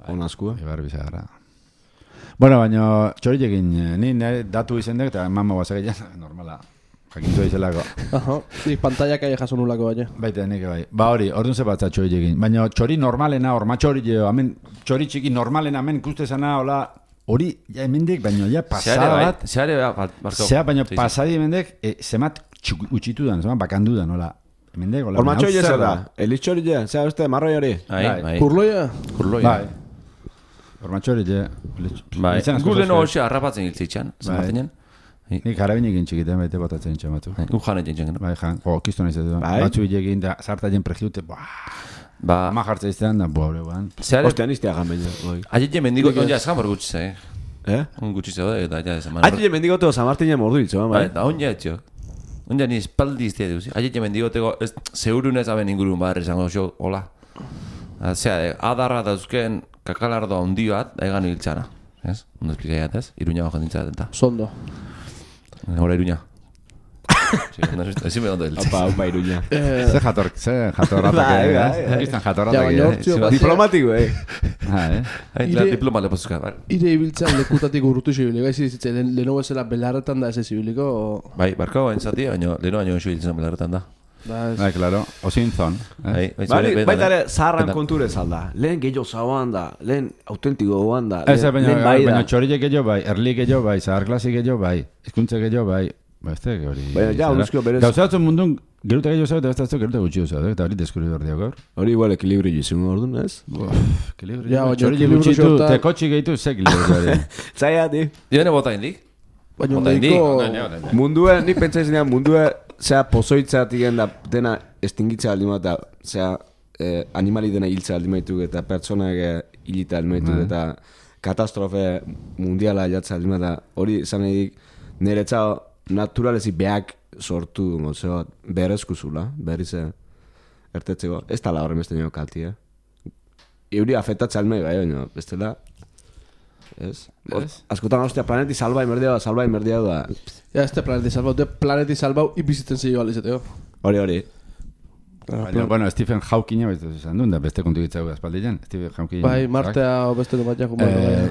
On askua. Ibar Bizagarra. Bueno, baina txorilekin, ni nire datu izen dek, eta eman magoaz egilean, normala. Jakintu izelako. Aha, ni pantalla kai jaso nulako baina. Baita, nik bai. Ba hori, orduan zebatza txorilekin. Baina txori normalena, orma txorileo, hemen, txori txiki normalena, hemen ikuste zana, hola, hori, ja hemendik, baina ja pasada Zeare bat, bat, zeare bat, barkau. zea, baina Sí, sí. pasadi hemendik, e, zemat txu- utxitu dan, zemat bakandu dan, hola. Hemendik, hola. Orma hau txoile zer zer da? Eliz txorile, zera beste, marroi hori. Bai, Bai. bai. Kurloia? Kurloia. Bai. Orma txorile. Bai. Gure no hoxe harrapatzen hiltzitxan, Bai. zamartinen. Nik jarabinekin txikiten baite botatzen txamatu. Un jane jentzen. Bai, jan, jo, kistu nahi zetu. Bai. Batzu hilekin, da, zarta jen pregiute, buah, Ba, ama jartza iztean, da, buah, buan. zeare, Ostia, niztea gamen. aiet mendigo on ja eskan gutxi eh. Eh? Un gutxi zeu eta ja esan. Aiti mendigote San Martinen mordu hiltzo, Bai, bai. da on ja etxo. On ja ni espaldi iztea duzi. Aiet mendigoteko ez zeurunez aben ingurun bar esango xo, hola. Zea, adarra dauzken kakalardo handi bat, egan hiltzana. Ez? Ondo esplikaiat ez? Iruña bajo dintzat eta. Sondo. Hora Iruña. Ezin me ondo hiltze. Opa, opa, iruña. Ze jator, ze jatorratak, Bai, eh? bai, bai. Kistan Ja, jatorratak, baina eh? hortzio bat. Diplomatiko, eh? Ha, eh? Hain, Ire- diploma lepozuzka, bai. Ire ibiltzen lekutatik urrutu zibiliko, ez izitzen, leheno bezala belarretan da ez zibiliko, Bai, barkau hain zati, baina leheno baino iso hiltzen belarretan da. da ez. Bai, claro, osin zon. Bai, bai, Bari, zure- baita ere, betan, zaharran betan. konture zalda. Lehen gehiago zauan da, lehen autentiko goan da, Ez, lehen baina, lehen bai da. baina txorilek gehiago bai, erlik gehiago bai, zahar klasi gehiago bai, hizkuntza gehiago bai, ba, ez da, hori... Baina, ja, onduzkio berez. Gauzatzen mundun, geruta gehiago zau, eta ez da geruta gutxio zau, eta hori deskuri behar diak gaur. Hori igual ekilibrio izango orduan, ez? Ja, baina Txorilek ekilibrio gutxitu, xorta- te kotxi gehitu, ze ekilibrio hori. Zaila, di. Jone bota indik? Baina Bota indik? ondiko... Mundue, nik pentsa izanean, mundue, zea pozoitzatik da dena estingitza aldi eta zea eh, animali dena hiltza aldi maituk, eta pertsonak eh, hilita aldi maituk, Bai. eta katastrofe mundiala jatza aldi eta hori izan edik niretza naturalezi beak sortu dungo, zeo, berezkuzula, berriz eh, ertetzeko, ez tala horren beste nio kalti, eh? Euri afetatza almei bai, baina, bestela, ez? Askotan, ostia, planeti salba inberdia, salba inberdia da. Ja, este planeti salbau, de planeti salbau ibizitzen zeio alizeteo. Hori, hori. Baina, bueno, Stephen Hawking ez esan duen, da beste kontu gitzau aspaldian. Stephen Hawking. Bai, Martea o beste du bat jako.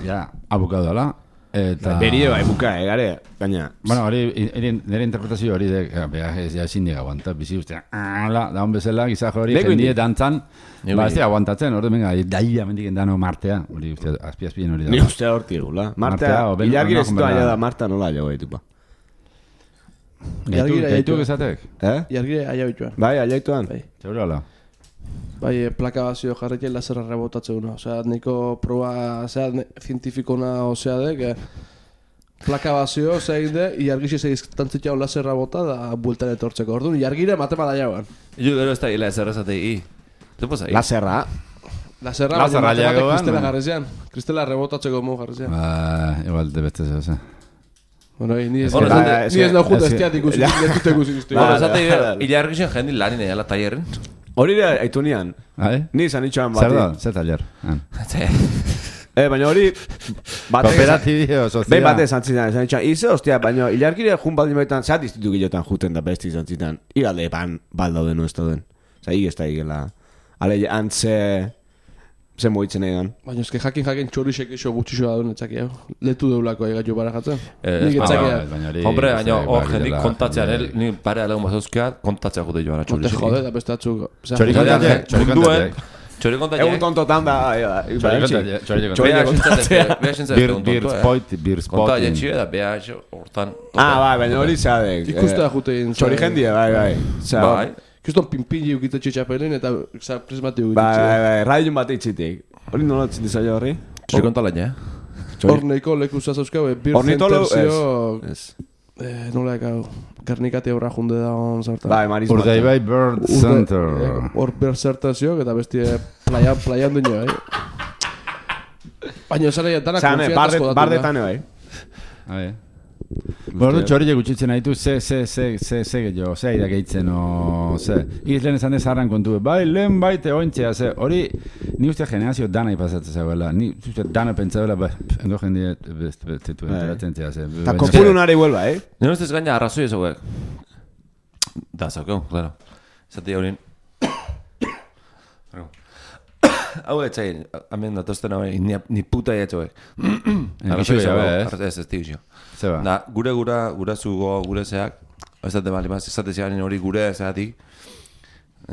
Ja, abukadu dela. Eta... Berie bai buka, eh, gare, gaina. Bueno, hori, nire interpretazio hori de, beha, ez ja ezin diga aguanta, bizi ustean, ala, daun bezala, gizako hori, jendie dantzan, ba, ez dira aguantatzen, hori, venga, daia mendiken dano Martea, hori, uste, azpi-azpien hori da. Ni ustea horti gula. Martea, ilargire zitu aia da, Marta nola jo gaitu, ba. Gaitu gezatek? Eh? Ilargire aia bituan. Bai, aia bituan. Zeuro ala? Bai, plaka bazio jarretia laserra rebotatzeguna. Osea, niko proba, osea, zientifikona, osea, dek, plaka bazio, osea, egin de, iargixi segiztantzitxau laserra bota da bueltan etortzeko. Orduan, iargire matema da jauan. Yo gero ez da laserra zatei. Zepo zai? Laserra. Laserra, Laserra baina jagoan, matematek kristela no? jarrezian. Kristela rebotatzeko mo jarrezian. Ba, igual, de beste zeu, Bueno, ni ez Bueno, da, es ni ez que- da junta es que- estiat ikusi, ez dut ikusi guzti. Bueno, Vale, zate, vale. ilargixen jendi lanin egala tallerren. Hori da, aitu nian. Bai? Ni izan itxoan Zer bati. da, zer taller? Eh, baina hori... batek- Kooperatibio, sozial. Behin bate esan zidan, esan itxoan. Ize, ostia, baina ilargire jun baldin baitan, zeat iztitu gilotan juten da besti izan zidan. Igalde pan, baldauden no ez dauden. Osa, hig ez da higela. Ale, antze... Ze moitzen egan. Baina eske jakin jakin txorixek iso gutxixo da duen etzaki, hau. Letu deulako egatu barajatzen. Eh, Nik ah, etzakia. Hombre, baina hor jendik kontatzean, el, ni pare alegun bazuzkeat, kontatzea jute joan Te atxorixek. jode, da beste atzuk. Txori kontatzea, txori kontatzea. Txori Egun kontatzea. tontotan da... Txori kontatzea, txori Beha kontatzea. xintzatek, beha xintzatek. Bir, bir spot, bir Konta spotting. jetxi da, beha xo, hortan. Ah, bai, baina hori zeadek. Ikuste da jute egin. Txori jendie, bai, bai. Zea, Bai. Kuston pinpili ukitze txapelin eta za prismati Bai, bai, ukitze. bai, radion bat eitzitik. Hori nola etzin dizaila horri? Txori konta laina, Hor neiko leku zazauzkau, bir Ornitolo, zentenzio... Ez. Eh, nola ekau, Gernikati aurra junde da on zartan. Bai, Maris Urdai Mata. bai Bird Urde- Center. eh, Hor berzertazioak eta bestie playa, playan duño, eh? Baina esan egin, dana Zane, konfiantazko datu. bardetane bai. Bai. Bordu txorille gutxitzen haitu, ze, ze, ze, ze, ze gehiago, ze aida gehitzen, o, ze. Iz lehen esan ez kontu, bai, lehen baite ointzea, ze, hori, ni uste generazio dana ipasatzen zegoela, ni uste dana pentsabela, bai, endo jendie, bestetu enteratzen zea, ze. Eta kopurunari huelba, eh? Nire ustez gaina arrazoi ez hauek. Da, zaukeu, claro. Zati haurin. Hau etxain, hamen datozten hau, ni, ni puta etxoek. Gixo jabe, ez? Ez, ez tigixo. Zeba. Da, gure gura, gure zugo, gure zeak, ez dute bali maz, ez dute zean hori gure zeatik,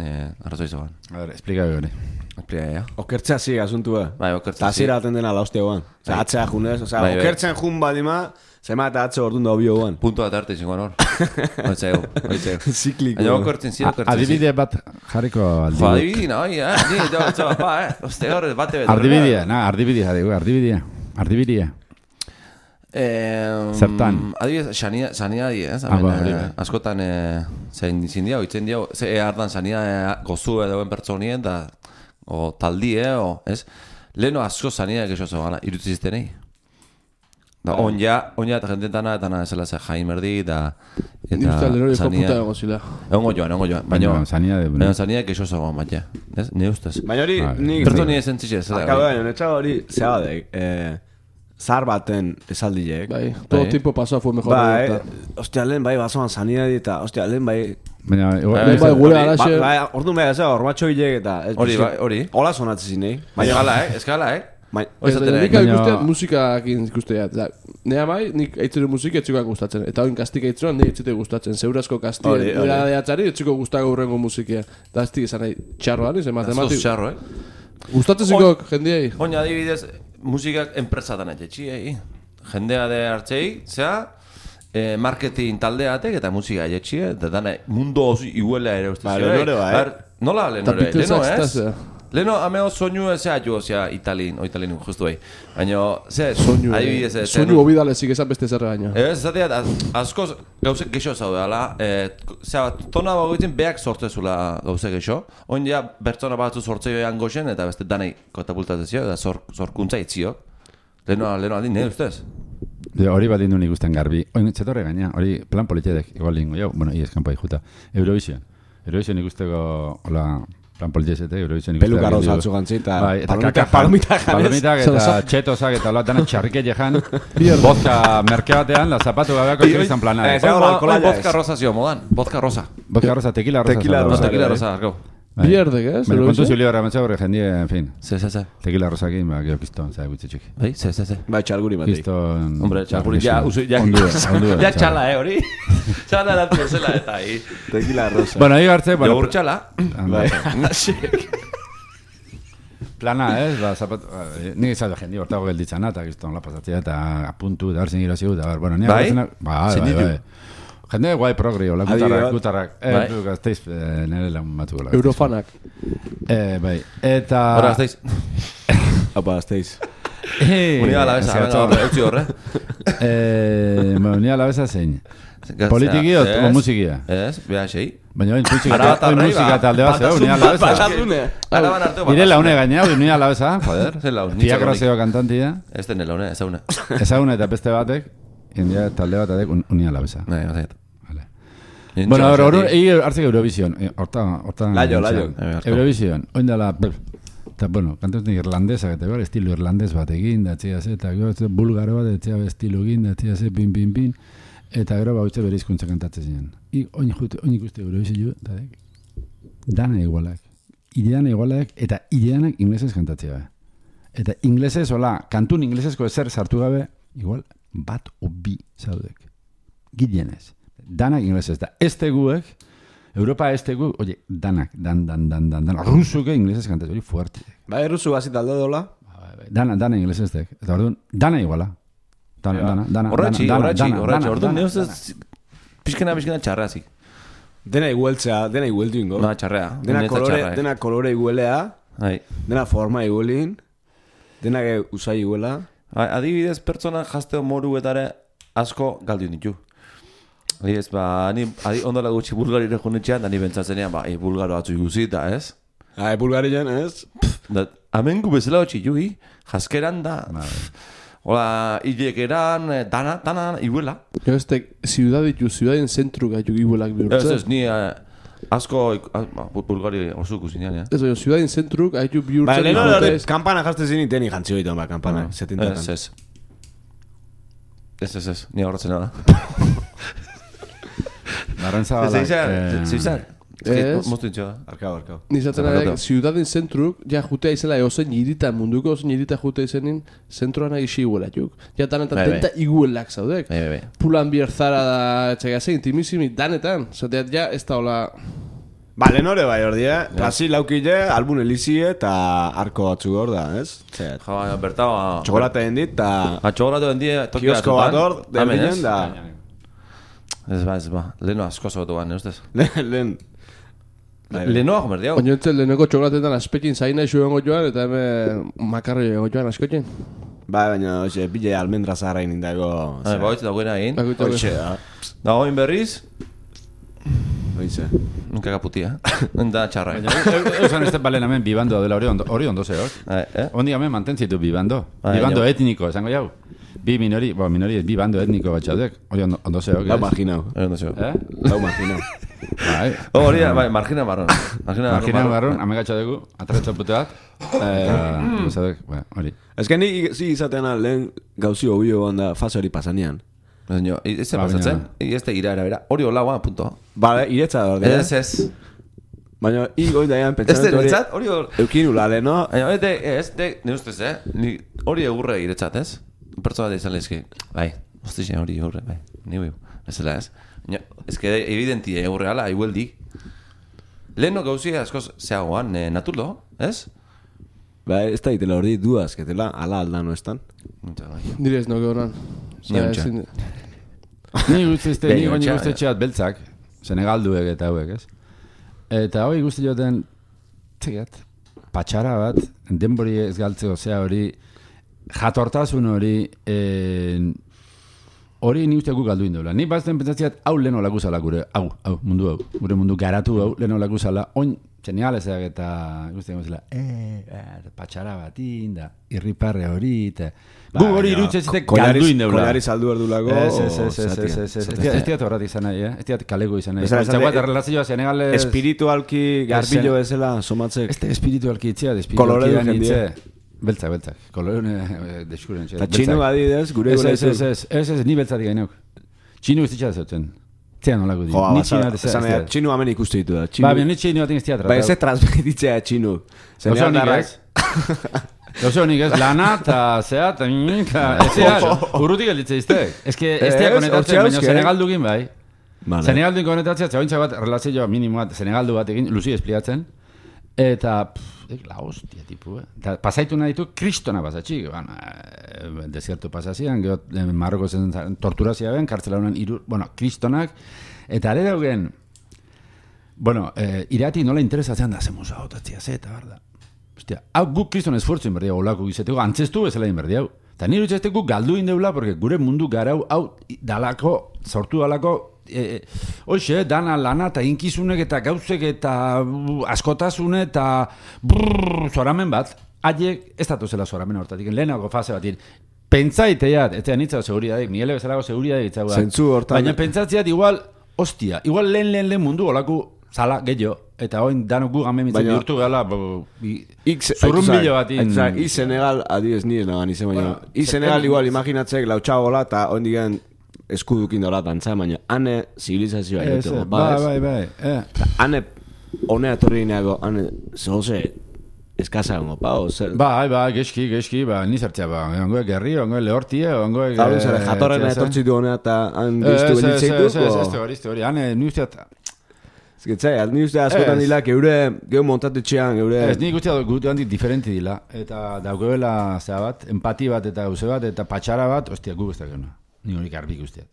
eh, arrazoi zegoen. A ver, explica hori. Explica, ja. Okertzea zi, asuntua. Bai, okertzen Eta zira aten dena laustia guan. Osa, atzea junez, osa, Bai, bai. okertzen jun badima, zema eta atze ordun da obio guan. Punto bat arte zingoan hor. Oitzeu, oitzeu. Zikliko. Baina okertzen zira, okertzen zira. Adibide bat jarriko Jo, aldibide. adibidin, oi, eh? Ni, jo, jo, pa, eh? Oste hor, bate bet. Ardibidea, na, ardibidea jarriko, ardibidea. Ardibidea. Eh, Zertan? Adibidez, sania, sania di, ez? Ah, ba, Hemen, hori eh, bai. askotan, eh, zein izin dia, oitzen dia, ze ardan sania eh, gozu edo pertsonien, da, o taldie, o, ez? Leheno asko sania egexo zogana, irutzi ziztenei. Da, on ja, on ja, eta jendetana, eta na, zela ze jain merdi, da, Ni uste eta lerori sania. puta egon zila. Egongo joan, egongo joan, baina, Baina, sania de... baina sania egexo zogan, baina, ez? Ne ustez. Baina hori, Bai. nik... Pertsoni esentzitxe, ez da. Akabo baina, netxa hori, zea badek, eh, zar baten esaldiek. Bai, todo Bai. tiempo pasado fue mejor. Bai, Bai, ostia, lehen bai, basoan sanidadi eta, ostia, lehen bai... Baina, igual- Bai, bai, gure Hori, alaxe... ba- bai, orduan bai, ez da, hormatxo hilek eta... ez Hori, bizi- bai, hori. Hola sonatzen zinei. Baina gala, eh? Ez gala, eh? Bai, Hori Ez, zaten nik egin. Baina- ikustean musikakin ikustea. Nea mai, nik aitzero musika etxikoak gustatzen. Eta oin kastik aitzeroan nik etxite gustatzen. Zeurazko kastik, Hori, hori. nera deatzari etxiko gustako urrengo musikia. Da ez izan nahi txarroan, izan Zuz matematik. txarro, eh? Gustatzen zikok, jendiei. Oina adibidez, musikak enpresatan etxetxi, jendea de hartzei, zea, eh, marketing taldeatek eta musika etxi, eta dana mundu oso iguela ere uste Ba, zio, Leonore ba, eh? Bar, nola Eta Leonore? Leno Beatlesak ez? zitazea. Leno, ameo soinu ezea jo, zea, italin, o italin, justu bai. Baina, ze, Soinu, adibidez, eh, eh, soinu obidalezik esan beste zerra baino. Ez, zatea, askoz gauzek gexo zaudela, eh, zera, tona bagoitzen beak sortzezula gauzek gexo, oin ja, bertzona batzu sortzeioan goxen, eta beste danei katapultatzezio, eta zor, zorkuntza itziok. Leno, leno aldi, ne ustez? De, hori bat indun ikusten garbi. Oin, zetorre gaina, hori plan politxedek, igual lingo, jau, bueno, ies kanpo juta. Eurovision. Eurovision ikusteko, hola, Fran Polgesete, Eurovision Peluka rosa atzu gantzi, eta bai, eta palomitak, kaka palomitak janez. Palomitak eta txetosak eta hola dana txarrike jejan. Vodka merke batean, la zapatu gabeako izan plana. Eh, Ahora, Hoy alkohola vodka ez. rosa zio modan, vodka rosa. Vodka rosa, tequila rosa. Tequila zaba. rosa. No, tequila rosa, argau. Bierdek, ez? Baina kontu zio libera mentza horre jendie, en fin. Se, se, se. Tequila rosakin, ba, gero kiston, zara gutxe txik. Bai, se, se, se. Bai, txalguri batik. Kiston... Hombre, txarguri, ja, usu, ja. Ondue, ondue. Ja txala, eh, hori. Txala eratu zela eta hi. Tequila rosa. Bueno, ahí hartze... Bueno, Jogur txala. bai. Plana, ez? Ba, zapat... Nik izan da jendi hortago gelditzana, eta kiston la pasatzea, eta apuntu, da hartzen gira zigu, eta bar, bueno, nik Bai? agartzen... Bai, bai, bai. Jende guai progri, hola, Adi gutarrak, bat. gutarrak. Eh, Bai. du gazteiz, eh, nire lan batu gola. Eurofanak. Eh, bai. Eta... Hora, azteiz. Apa, azteiz. Eh, Unida la besa, venga, horre, eutzi horre. Eh, bueno, unida la besa zein. Politiki o, o musikia? Ez, beha xei. Baina oin musika, Arabatarrei, oin musika ba, talde bat zeu, unida la besa. Batatune. Araban arteo Nire laune gaina, unida la besa, joder. Zer laun, Tia Groseo kantantia. Ez den laune, ezaguna. Ezaguna eta beste batek, india talde batek unida la besa. Nahi, bazaiet. Vale. Bueno, ahora, ahora, egi hartzek Eurovision. Eh, Horta, horta... Laio, laio. Eurovision, oin dela... Eta, bueno, kantuznik irlandesa, eta gero estilo irlandes bat egin, da txea ze, eta gero bulgaro bat, etxea estilo egin, da txea ze, pin, pin, pin. Eta gero bautze bere hizkuntza kantatzen ziren. I, oin jute, oin ikuste Eurovision, eta dana igualak. Ideana igualak, eta ideanak inglesez kantatzea. Eta inglesez, hola, kantun inglesezko ezer sartu gabe, igual, bat o bi zaudek. Gilenez. Danak inglesez, da ez teguek, Europa ez teguek, oye, danak, dan, dan, dan, dan, dan, rusuke inglesez kantatzen, hori fuerte. Bai, rusu bazit aldo dola. Dana, dana inglesez tek. Eta orduan, dana iguala. Dana, dana, dana, Horratxi, dana, horratxi, dana, horratxi. dana, Orduan, dana, neuz ez... Pixkena, pixkena txarra zik. Dena igueltzea, dena igueltu ingo. No, txarrea. Dena Niretzat kolore, txarra, eh. dena kolore iguelea, Bai. dena forma iguelin, dena ge usai iguela. Adibidez, pertsona jazteo moruetare asko galdu ditu. Adibidez, ba, ni adi, ondola gutxi bulgarire junetxean, da ni bentsatzenean, ba, e, bulgaro atzu iguzita, ez? Ah, bulgarian, ez? Da, amengu bezala hotxi jugi, jaskeran da, hola, hilekeran, dana, dana, iguela. Gero ez tek, ziudad ditu, ziudaden zentru gaitu iguelak Ez, bihurtzen. ez, ni eh, asko, ik- ah, ba, bulgari oso ikusinean, ja. Ez, baina, ziudaden zentruk gaitu Ba, bihurtzen. leheno dute, hori, ez. kampana jazte zini teni jantzi hoitan, ba, kampana, Ez, setintatan. ez. Ez, ez, ez, ni horretzen da. Barrentza Ez, izan, ez, izan. Ez. Moztu intxo da. Arkau, arkau. Nizaten Zapakatu. ari, ziudaden zentruk, ja jutea izela eozen irita munduko, ozen irita jutea izenin, zentroan agi iguelatuk. Ja danetan Bai, bai. tenta iguelak zaudek. Bai, bai, bai. Pulan bierzara da, txagazen, intimissimi, danetan. Zateat ja, ez da hola... Ba, lehen hori bai hor die, plasi laukile, albun elizie eta arko batzu hor da, ez? Zet. Ja, baina, bertao, a... Txokolate hendit eta A txogoratu den die, toki kiosko bat hor, Hemen, derbinen ez? da... Ez ba, ez ba. Leheno asko zotu ban, ustez? Lehen... Bai, bai. Lehenoa jomer diau. Baina entzen leheneko txokolatetan aspekin zaina isu egongo joan, eta hemen makarro egongo joan askotin. Bai, baina, oxe, bile almendra zaharra inindago... Ba, hoitz dagoena egin. Bakoitza Oxe, da. Da, hoin berriz, Oize. nunca kaputia. Da txarra. Eusan ez balen hemen bibando dela hori ondo, hori ondo zeok. Eh, eh? Ondi hemen mantentzitu bibando. Bai, Bibando jau. etniko, esango jau. Bi minori, bo, minori, bi bando etniko bat txaudek. Hori ondo, ondo zeok, Lau ez? marginau. Ero no zeo. Eh? Lau marginau. Bai. Oh, hori, bai, margina marron. Margina Margina garrun, amegatxa dugu, atretxo pute bat. Eta, no zeok, ba, hori. Ez que ni zi izateana lehen gauzi obio handa fase hori pasanean. Baina, ez da Ba, pasatzen, baina- ez da ira era bera. Hori hola, guan, punto. Bale, iretza da hor. Ez, ez. Baina, i goi daian Ez da, pentsamentu hori... niretzat, hori hor... Eukin ula leheno... Baina, ez, de- ez, de, ne ustez, eh? Ni, hori egurre iretzat, ez? Pertsona da izan lezke, bai, ostizien hori egurre, bai, ni hui, bezala, ez? Baina, ez que evidenti egurre ala, igueldi. Leheno gauzi askoz zeagoan, eh, naturlo, ez? Ba, ez da itela hori duaz, que tela ala aldan no estan. Nire ez noge horan. Ni ontsa. Ni guztizte, ni Baina, goni txa- guztetxeat beltzak, Senegalduek eta hauek, ez? Eta hori guzti joten, txegat, patxara bat, denbori ez galtzeko zea hori, jatortasun hori, en, hori ni uste guk galdu indola. Ni bazten pentsatziat, hau lehen olakuzala gure, hau, hau, mundu hau, gure mundu garatu hau, lehen olakuzala, oin Senegalesak eta ikusten gozela, eh, eh, patxara batin, da, irriparre hori, eta... Gu hori irutzen zitek galduin deula. Kolari saldu erdulako... Ez, ez, ez, ez, ez, ez, ez, ez diat horrat izan nahi, eh? Ez diat kalego izan nahi. Txaguat, relazioa Senegales... Espiritualki garbillo bezala somatzek. Ez da espiritualki itzea, espiritualki da nitze. Beltzak, beltzak. Kolorune deskuren txea. Eta txinu adidez, gure gure ez, ez, ez, ez, ez, ni beltzatik gainok. Txinu ez ditxea zautzen. Zea nolako di. Ni txinu bat ez da. Txinu hamen ikustu ditu da. Ba, bian, ni txinu bat ez teatra. Ba, ez ez transmititzea txinu. Oso nik ez, lana, eta zea, eta minika, ez zea, urrutik elitze iztek. Ez que, ez tea konetatzen, baina Senegaldukin bai. Senegaldukin konetatzea, txagointza bat, relazioa minimo bat, Senegaldu bat egin, Luzi espliatzen, eta, pff, la hostia, tipu, eh. Eta pasaitu nahi ditu, kristona pasatxik, bueno, eh, desierto pasazian, gero, Marroko zen torturazia ben, kartzela honen iru, bueno, kristonak, eta are daugen, bueno, eh, irati nola interesatzen da, zemuza, otatzia, zeta, barda. Hostia, hau guk kriston esfortzu inberdiau, olako gizeteko, antzestu bezala inberdiau. Eta nire utxezte guk galdu indeula, porque gure mundu garau, hau dalako, sortu dalako, e, hoxe, dana lana eta inkizunek eta gauzek eta uh, askotasune eta brrrr, zoramen bat, haiek ez datu zela zoramen hortatik, lehenako fase batin. Pentsaiteat, ez da nitzau seguridadik, nire bezalako seguridadik itzagoa. Zentzu hortan. Baina pentsatziat igual, hostia, igual lehen lehen lehen mundu olako zala gehiago. Eta hoin danok gu gamen mitzen bihurtu gala zurrun bilo bat in... I Senegal, adiez ni ez nagan izan, baina I Senegal igual imaginatzek lautxagola eta hoin digen eskudukin dola dantza, baina ane zibilizazioa egiteko. Bai, bai, bai. Ane honea torri gineako, ane zoze eskasa gongo, pa, o zer? Bai, bai, geski, geski, ba, nizartzea, ba, ongoe gerri, ongoe lehortie, ongoe... Zaru zara, jatorrena etortzitu honea eta han diztu benitzeitu? Ez, ez, ez, hori, hori, hane, ni usteat... Ez getzai, ni uste askotan dilak, eure, geho montatetxean, eure... Ez, nik uste gutu handik diferenti dila, eta daukeela, zera bat, empati bat eta gauze bat, eta patxara bat, ostia, guk ez da geuna. Ni horik arbik usteat.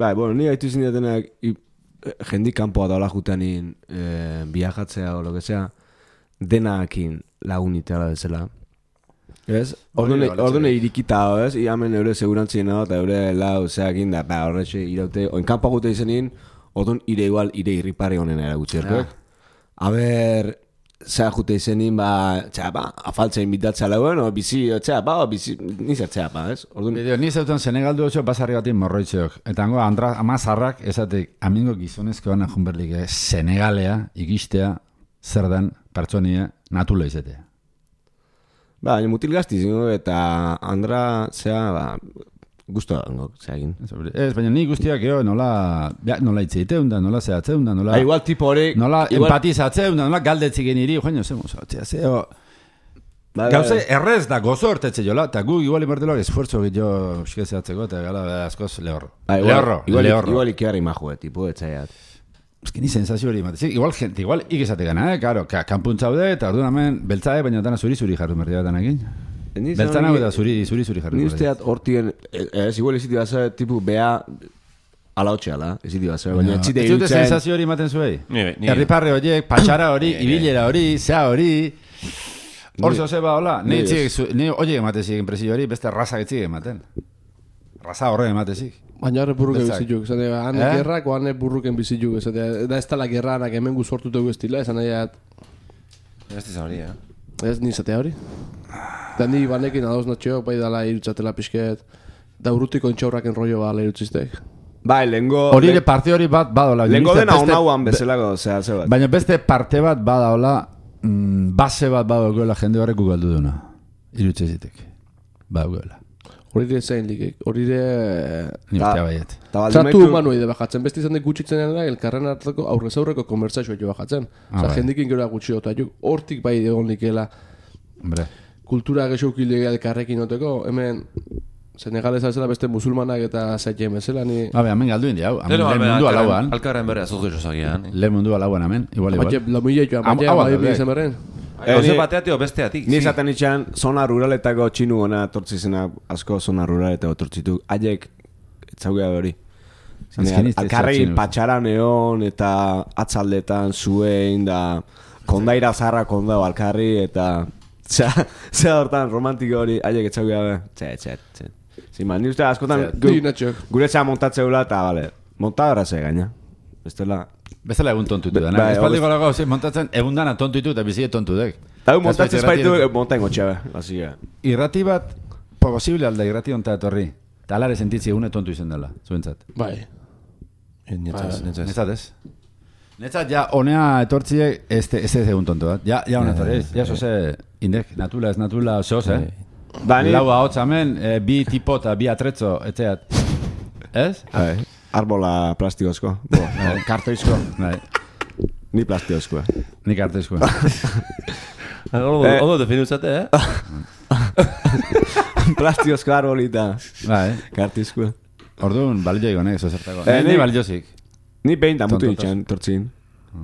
Bai, bueno, ni gaitu izin detenak, jendik kanpoa daula juteanin eh, viajatzea o lo que sea, denakin lagunitea bezala. Ez? Ordune irikita, ez? Iamen eure segurantzien hau, eta eure lau zeakin da, ba, horretxe iraute, oin kanpoa jute izenin, ordun ire igual, ire irripare honen eragutzi erkoek. A ber, zea jute izenin, ba, txea, ba, afaltzea inbitatzea lagoen, o bizi, txea, ba, bizi, nizertzea, ba, ez? Ordun... Bideo, ni zeutan Senegaldu oso basarri batin morroitzeok. Eta hango, andra, amazarrak, ezatek, amingo gizonezko gana junberlik, eh? Senegalea, ikistea, zer den, pertsonia, natula izatea. Ba, mutil gazti zingo, eta andra, zea, ba, gusto dango, zeagin. Ez, baina ni guztiak eo nola, ja, nola itzeiteun da, nola zehatzeun da, nola... Ha, igual tipo hori... Nola igual... empatizatzeun da, nola galdetziken iri, joan, zemo, zeo... Gauze, errez da, gozo hortetze jola, eta gu igual iberteloak esfuerzo gito xikezeatzeko, eta gala, askoz lehorro. Ba, igual, lehorro, igual, lehorro. Igual ikiarri majue, tipo, etzaiat. Ez que ni sensazio hori matezik, igual gente, igual ikizate gana, eh, karo, kanpuntzaude, eta orduan hemen, beltzae, baina dana zuri-zuri jarru merdi bat anakin. Beltzan hau eta zuri-zuri jarri. Ni usteat hortien, ez igual eziti basa, tipu, bea, ala hotxe ala, eziti basa, baina txite irutzen. Ez dute sensazio hori maten zuei? Herriparre horiek, patxara hori, ibilera hori, zea hori... Hor zoze ba, hola, ni horiek ematezik enpresio hori, beste raza getzik ematen. Raza horre ematezik. Baina horre burruken bizituk, zate, hane gerrak o hane burruken bizituk, zate, da ez tala gerranak hemen guzortu tegu estila, esan nahiat... Ez dizan hori, eh? Ez nizatea hori. Da ni banekin adoz natxeo, bai dala irutzatela pixket, da urrutiko entxaurraken rollo bala irutziztek. Bai, lengo... Hori ere parte hori bat badaola. Lengo dena honauan bezalako, zea, ze bat. Baina beste parte bat badaola, mm, base bat badagoela jende horrek ugaldu duna. Irutzezitek. Badagoela. Hori ere zein likek, hori ere... Ni ustea baiet. Tratu humano ide bajatzen, beste izan dek gutxitzen dena, elkarren hartako aurrez aurreko konbertsazioa jo bajatzen. Osa, jendikin gero gutxi eta juk hortik bai egon likela. Hombre. Kultura gehiago elkarrekin oteko, hemen Senegalez azela beste musulmanak eta zaitien bezala ni... Babe, hemen galdu indi hau, hemen mundu alauan. Alkarren bere azotu esozagian. Le mundu alauan hemen, igual igual. Baina, la muile joan, baina, bai bidezen berren. Gauze bateatik o besteatik. Ni zaten itxan, zona ruraletako txinu gona tortzizena, asko zona ruraletako tortzitu. Haiek, etzaugea hori. Alkarregi patxaran egon eta atzaldetan zuen da kondaira zarra kondao alkarri eta... Zea hortan romantiko hori, haiek etzaugea be. Txe, txe, txe. Zima, ni uste askotan gure txea montatzeula eta, bale, montadora ze gaina. Bestela... Bezala egun tontu ditu dena. Espaldiko lago montatzen egun dana tontu ditu eta bizie tontu dek. Hau montatzen espaitu montain gotxea, hasi ga. Irrati bat, posible alda irrati onta etorri. Eta alare sentitzi egune tontu izen dela, zuentzat. Bai. Netzat, netzat. Netzat ez? Netzat ja honea etortziek ez ez egun tontu bat. Ja, ja hona etorri. Ja zoze indek, natula ez natula zoz, eh? Lau ahotz hemen, bi tipo eta bi atretzo, etxeat. Ez? Arbola plastikozko. Kartoizko. Ni plastikozko. Ni kartoizko. Ondo definuzate, eh? Plastikozko arbolita. Kartoizko. Orduan, balio egonek, zozertako. Ni baliozik. Ni behin damutu ditxan, tortzin.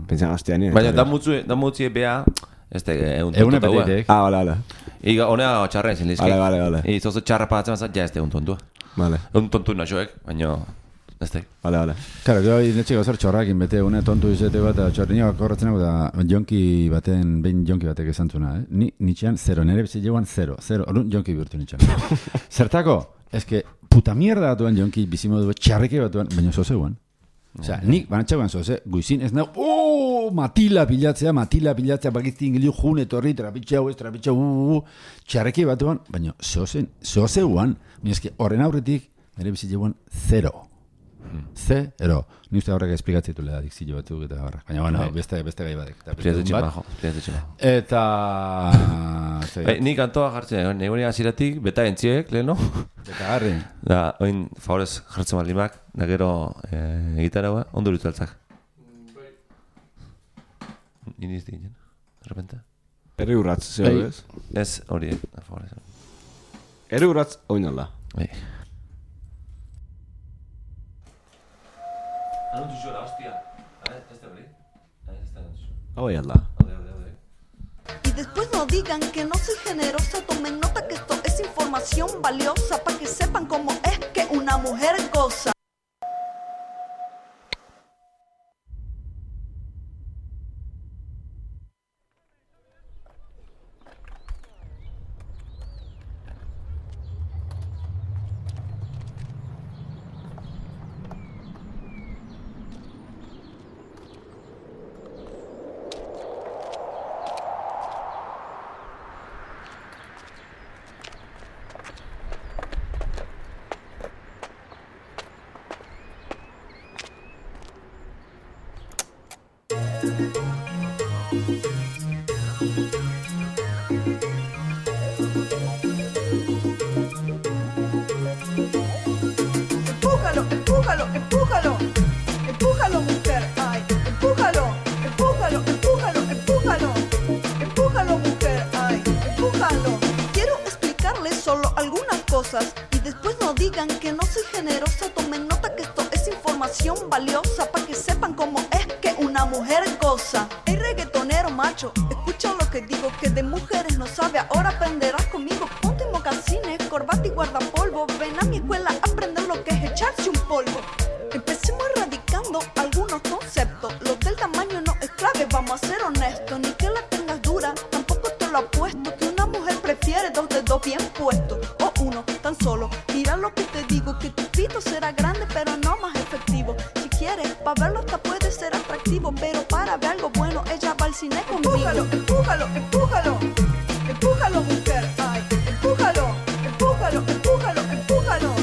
Pentsan gaztean, eh? Baina, damutzi ebea, ez da, egun tontu taua. Ah, vale, vale. Iga, honea txarren zin lizki. Vale, vale, vale. I zozo txarra pagatzen bazat, ja ez da egun tontua. Vale. Egun tontu naxoek, baina, ez da. Vale, vale. Claro, gero netxeko zer txorrakin bete, une tontu izate bat, txorri nio korratzen da, jonki baten, behin jonki batek esantzuna, eh? Ni, nitxean, zero, nire bizi joan, zero, zero, orduan jonki bihurtu nitxean. Zertako, ez que, puta mierda batuen jonki bizimodu txarreke batuen, baina zozeuan. Osea, nik banatxauan zoze, guizin ez nahu, ooo, matila pilatzea, matila pilatzea, bakizti ingilio june, torri, trapitxau, ez trapitxau, uuu, txarreke batuan, baina zozeuan, baina eski horren aurretik, nire bizitxeuan, zero. Zero. Ni uste horrek esplikatzitu leda dikzillo batzuk eta barra. Baina, bueno, beste, beste gai badek. Espliatze tximajo, espliatze tximajo. Eta... Nik antoa jartzen, negoni aziratik, beta entziek, leheno. Eta garri. Da, oin, favorez jartzen balimak, da gero egitaragoa, ondo lutzaltzak. Iniz digin, de repente. Eri urratz, zeo ez? Ez, hori, favorez. Eri urratz, oinala. Bai. Anuntu zuela, hostia. ¿Este abrí? Este anuntu zuela. Oye, alda. Y después no digan que no soy generosa, tomen nota que esto es información valiosa para que sepan cómo es que una mujer goza. Empújalo, empújalo, empújalo, empújalo, mujer, ay, empújalo, empújalo, empújalo, empújalo, empújalo, mujer, ay, empújalo. Quiero explicarles solo algunas cosas y después no digan que no soy generosa, tomen nota que esto es información valiosa para que sepan cómo es que una mujer goza. Hey, reggaetonero macho, escucha lo que digo, que de mujeres no sabe, ahora aprenderás conmigo. Ponte mocasines, corbata y guardapolvo, ven a mi escuela a aprender lo que es echarse un polvo. Empecemos erradicando algunos conceptos, lo del tamaño no es clave, vamos a ser honestos, ni que la tengas dura, tampoco te lo apuesto, que una mujer prefiere dos dedos bien puestos, o uno tan solo. Mira lo que te digo, que tu pito será grande pero no más efectivo. Si quieres, para verlo hasta puede ser atractivo, pero para ver algo bueno ella va al cine conmigo. Empújalo, empújalo, empújalo, empújalo, mujer, ay, empújalo, empújalo, empújalo, empújalo,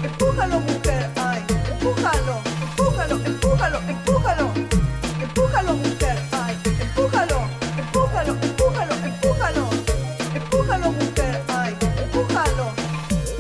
empújalo, mujer, ay, empújalo, empújalo, empújalo, empújalo, empújalo, mujer, ay, empújalo, empújalo, empújalo, empújalo, empújalo, mujer, ay, empújalo.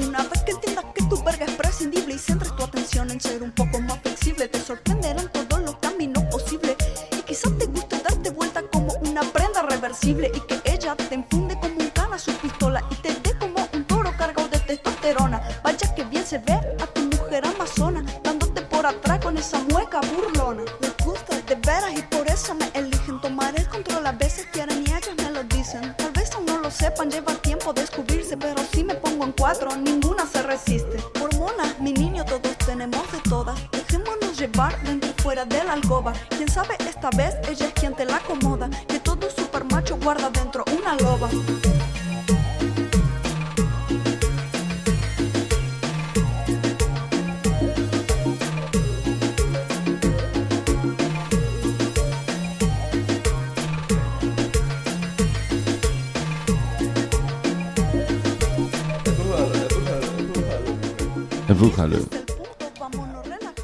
Una vez que entiendas que tu verga es prescindible y centres tu atención en ser un poco más flexible, te sorprenderán todos los caminos posibles y quizás te guste darte vuelta como una prenda reversible y que ella te enfunde como un cana su pistola y te dé como un toro cargado de testosterona. Vaya que bien se ve a tu mujer amazona dándote por atrás con esa mueca burlona. Les gusta de veras y por eso me eligen tomar el control, a veces quieren y ellas me lo dicen. Tal vez aún no lo sepan, lleva tiempo descubrirse, pero si me pongo en cuatro ninguna se resiste. Hormonas, mi niño, todos tenemos de todas, dejémonos llevar dentro y fuera de la alcoba. Quién sabe, esta vez ella es quien te la acomoda, que todo super macho guarda dentro una loba. Empújalo.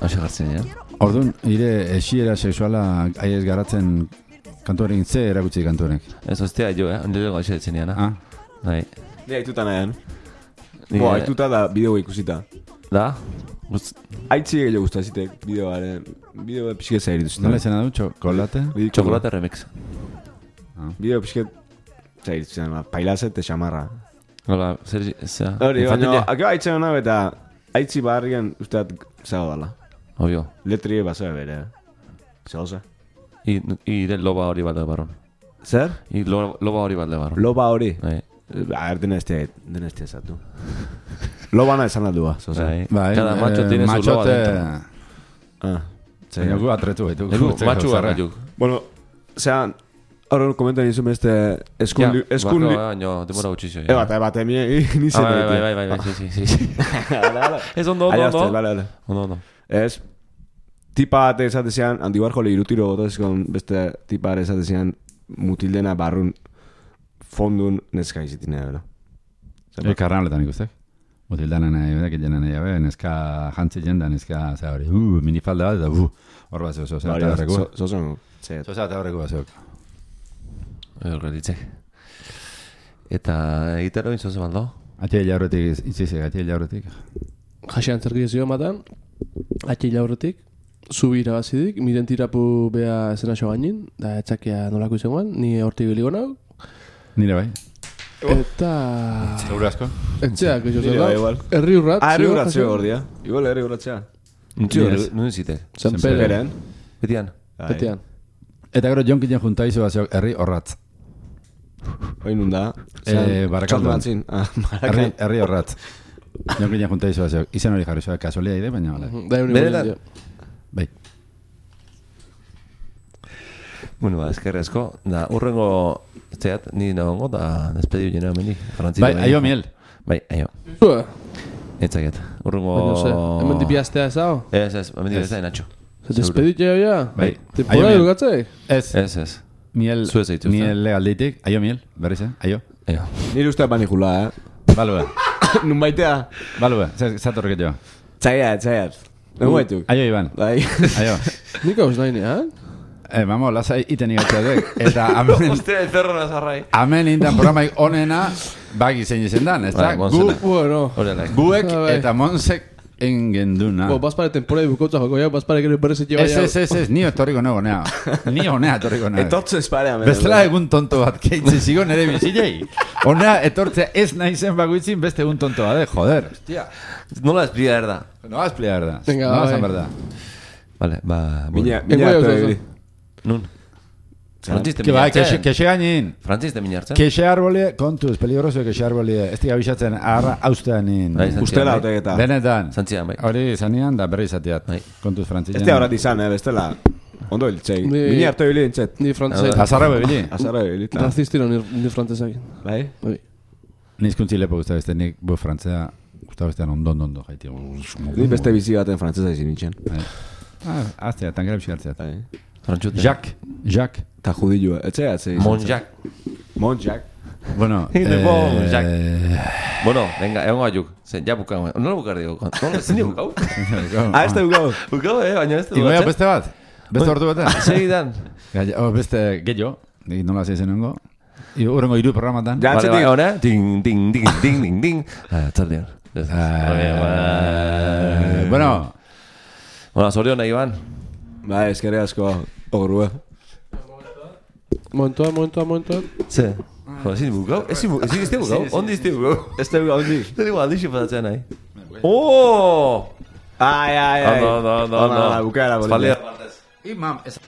Hauxe gartzen, ja? Orduan, ire esiera sexuala aiez garatzen kantuarekin ze erakutsi kantuarek. Ez ostea jo, eh? Ondelo gauxe ditzen nian, Ah, Bai. Ni aituta nahean. Ni, Bo, eh, aituta da bideo ikusita. Da? Guz- Aitzi gehiago gustazitek bideoaren. Bideo pixket zairituzten. nola izena du, txokolate? Chocolate remix. Bideo pixket zairituzten, ba, pailazet te xamarra. Hola, zer... zera, Hori, baina, infantilia? akaba aitzen hona eta aitzi barrian usteat zago dala. Obvio. Letrie basoa bere. Zauza. I, i de loba hori bat de barron. Zer? I lo, loba hori bat de barron. Loba hori. Bai. A ver, dena este, dena este zatu. Lobana esan aldua, zauza. Bai. Bai, Cada macho eh, tiene su loba machote... dentro. Ah. Baina gu atretu baitu. Egu, matxu garra juk. Bueno, zean, ahora komentan izun beste eskun... Ja, eskun... bako, baina, demora gutxixo. E, bate, bate, mi, ni Ah, zen bai, bai, bai, bai, bai, sí, sí, sí. Ez ondo, ondo, Aiazte, ondo. bale, bale. Ondo, ondo. Ez, tipa bate esatezean, Andi Warhol irutiro gotozkon beste tipa bate esatezean mutildena barrun fondun neska izitinea, bera. E, karnaletan ikustek. Mutildanen nahi, bedak jenen nahi, be, neska jantzi jenda, neska, za hori, uh, minifalda bat, eta, uh, hor bat zeu, zoza, eta horreku. Zozon, zet. Zoza, eta horreku bat zeuk. Horrelitzek. Eta egitero inzoze baldo? Atxe jaurretik, itzizek, atxe jaurretik. Jasean zergizio matan, atxe jaurretik, zubi irabazidik, miren tirapu bea esena xo gainin, da etxakia nolako izangoan, ni hortik biligo nau, Nire bai. eta... Seguro asko. Etxeak, eixo Nire zer bai, da, igual. herri urrat. Ah, herri zio, urratzeo Jasean? gordia. Igual herri urratzea. Nintxio, Yes. nuen zite. San Senpere. Pere, Beren. Betian. betean. Eta gero jonkinen juntaizu bat zeuk, herri horratz. Oin nunda. Eh, Barakaldon. Txalmatzin. Ah, Herri, Barakaldon. herri horratz. Jonkinen juntaizu bat zeuk. Izan hori jarri zoa, kasualia ide, baina bale. Da egun Benetan? Bai. Bueno, ba, eskerrezko. Da, urrengo, zeat, ni nagongo, da, despediu jena menik. Bai, aio miel. Bai, aio. Zua, Etzaket. Urrengo... baina ze, hemen dipiaztea ez hau? Ez, ez, hemen dibezta inatxo. Se despedit ja, ja? Bai. Temporada Aio miel. dugatzei? Ez, Ez, ez. miel, Zu ez dituzte. miel legalditik, aio miel, berriz, eh? Aio. Aio. Nire usteak banikula, eh? Balue, Nun baitea. balue, zatorrek jo. Txaiat, txaiat. Nun baituk. Aio, Iban. Bai. Aio. Nik hauz nahi nean? Eh, vamos, lasai iten igatzadek. Eta amen, Ostia, el perro nazarrai. amen indan programaik onena, bagi zein izen dan, ez da? Bai, Gu, Monsena. Bueno. Horrela. guek Ah, bai. eta Monsek engenduna. Bo, bazpare temporada bukotza joko, ja, bazpare gero berrezet Ez, ez, ez, ez, ni etorriko nago nea. Ni honea etorriko nago. Etortze esparea, mena. Bestela egun tonto bat keitze zigo nere bizilei. Honea etortzea ez naizen baguitzin beste egun tonto bat, eh, joder. Hostia. Nola explicar da. No vas a explicar, verdad. Venga, no vas a bai. verdad. Vale, ba... Mina, bueno. mina Ego, hartu ego, ebili. Nun? Frantziste Que bai, que minartzen. que gainin. Frantziste minartzen. Que arbolie, kontuz, peligroso que arbolie. Ez diga bisatzen arra austeanin. Bai, zantzian, Ustela bai. otegeta. Benetan. Zantzian, bai. Hori zanean da berri izateat. Bai. Kontuz frantzian. Ez da horat izan, eh, bestela. Ondo hiltzei. Ni- Mina hartu ebili dintzet. Ni frantzai. Azarra bebili. Azarra ebili. ta. Razistiro ni, ni frantzesak. Bai? Bai. Nizkuntzi lepo guzta beste, nik bu frantzea guzta bestean ondo ondo ondo jaiti. Ni beste bizi baten frantzesa izin nintzen. Ah, aztea, tankera pixartzeat. Bai. Frantzute. Jacques, Jacques. Ta judilua. Etxea, etzei. Monjak. Monjak. Bueno, In the ball, eh, Jacques. Bueno, venga, egon gaiuk. Zen, ja bukau. Nola bukar dugu? Nola, zin bukau? Ah, ez da gau. Bukau, eh, baina ez du. Igoia beste bat? Beste ordu batean? Segidan. Gaia- oh, beste gehiago, nik nola zeizen nengo. Urrengo hiru programatan. Ja, Vale, atzetik. vale, ahora. Ding, ding, ding, ding, ding, ding. Ah, txaldean. Eh, bueno, Bueno, zorion nahi ban. Bai, eskerrik asko. Ogrua. Momentuan, momentuan, momentuan. Ze? Jo, ezin bukau? Ezin bukau? Ezin izte bukau? Ondi izte bukau? Ez da gau dik. Zer igual, aldixi pasatzen nahi. Oh! Ai, ai, ai. Ondo, ondo, ondo, ondo. Ona, bukaera, bolita. Espaldia partez. imam, ez...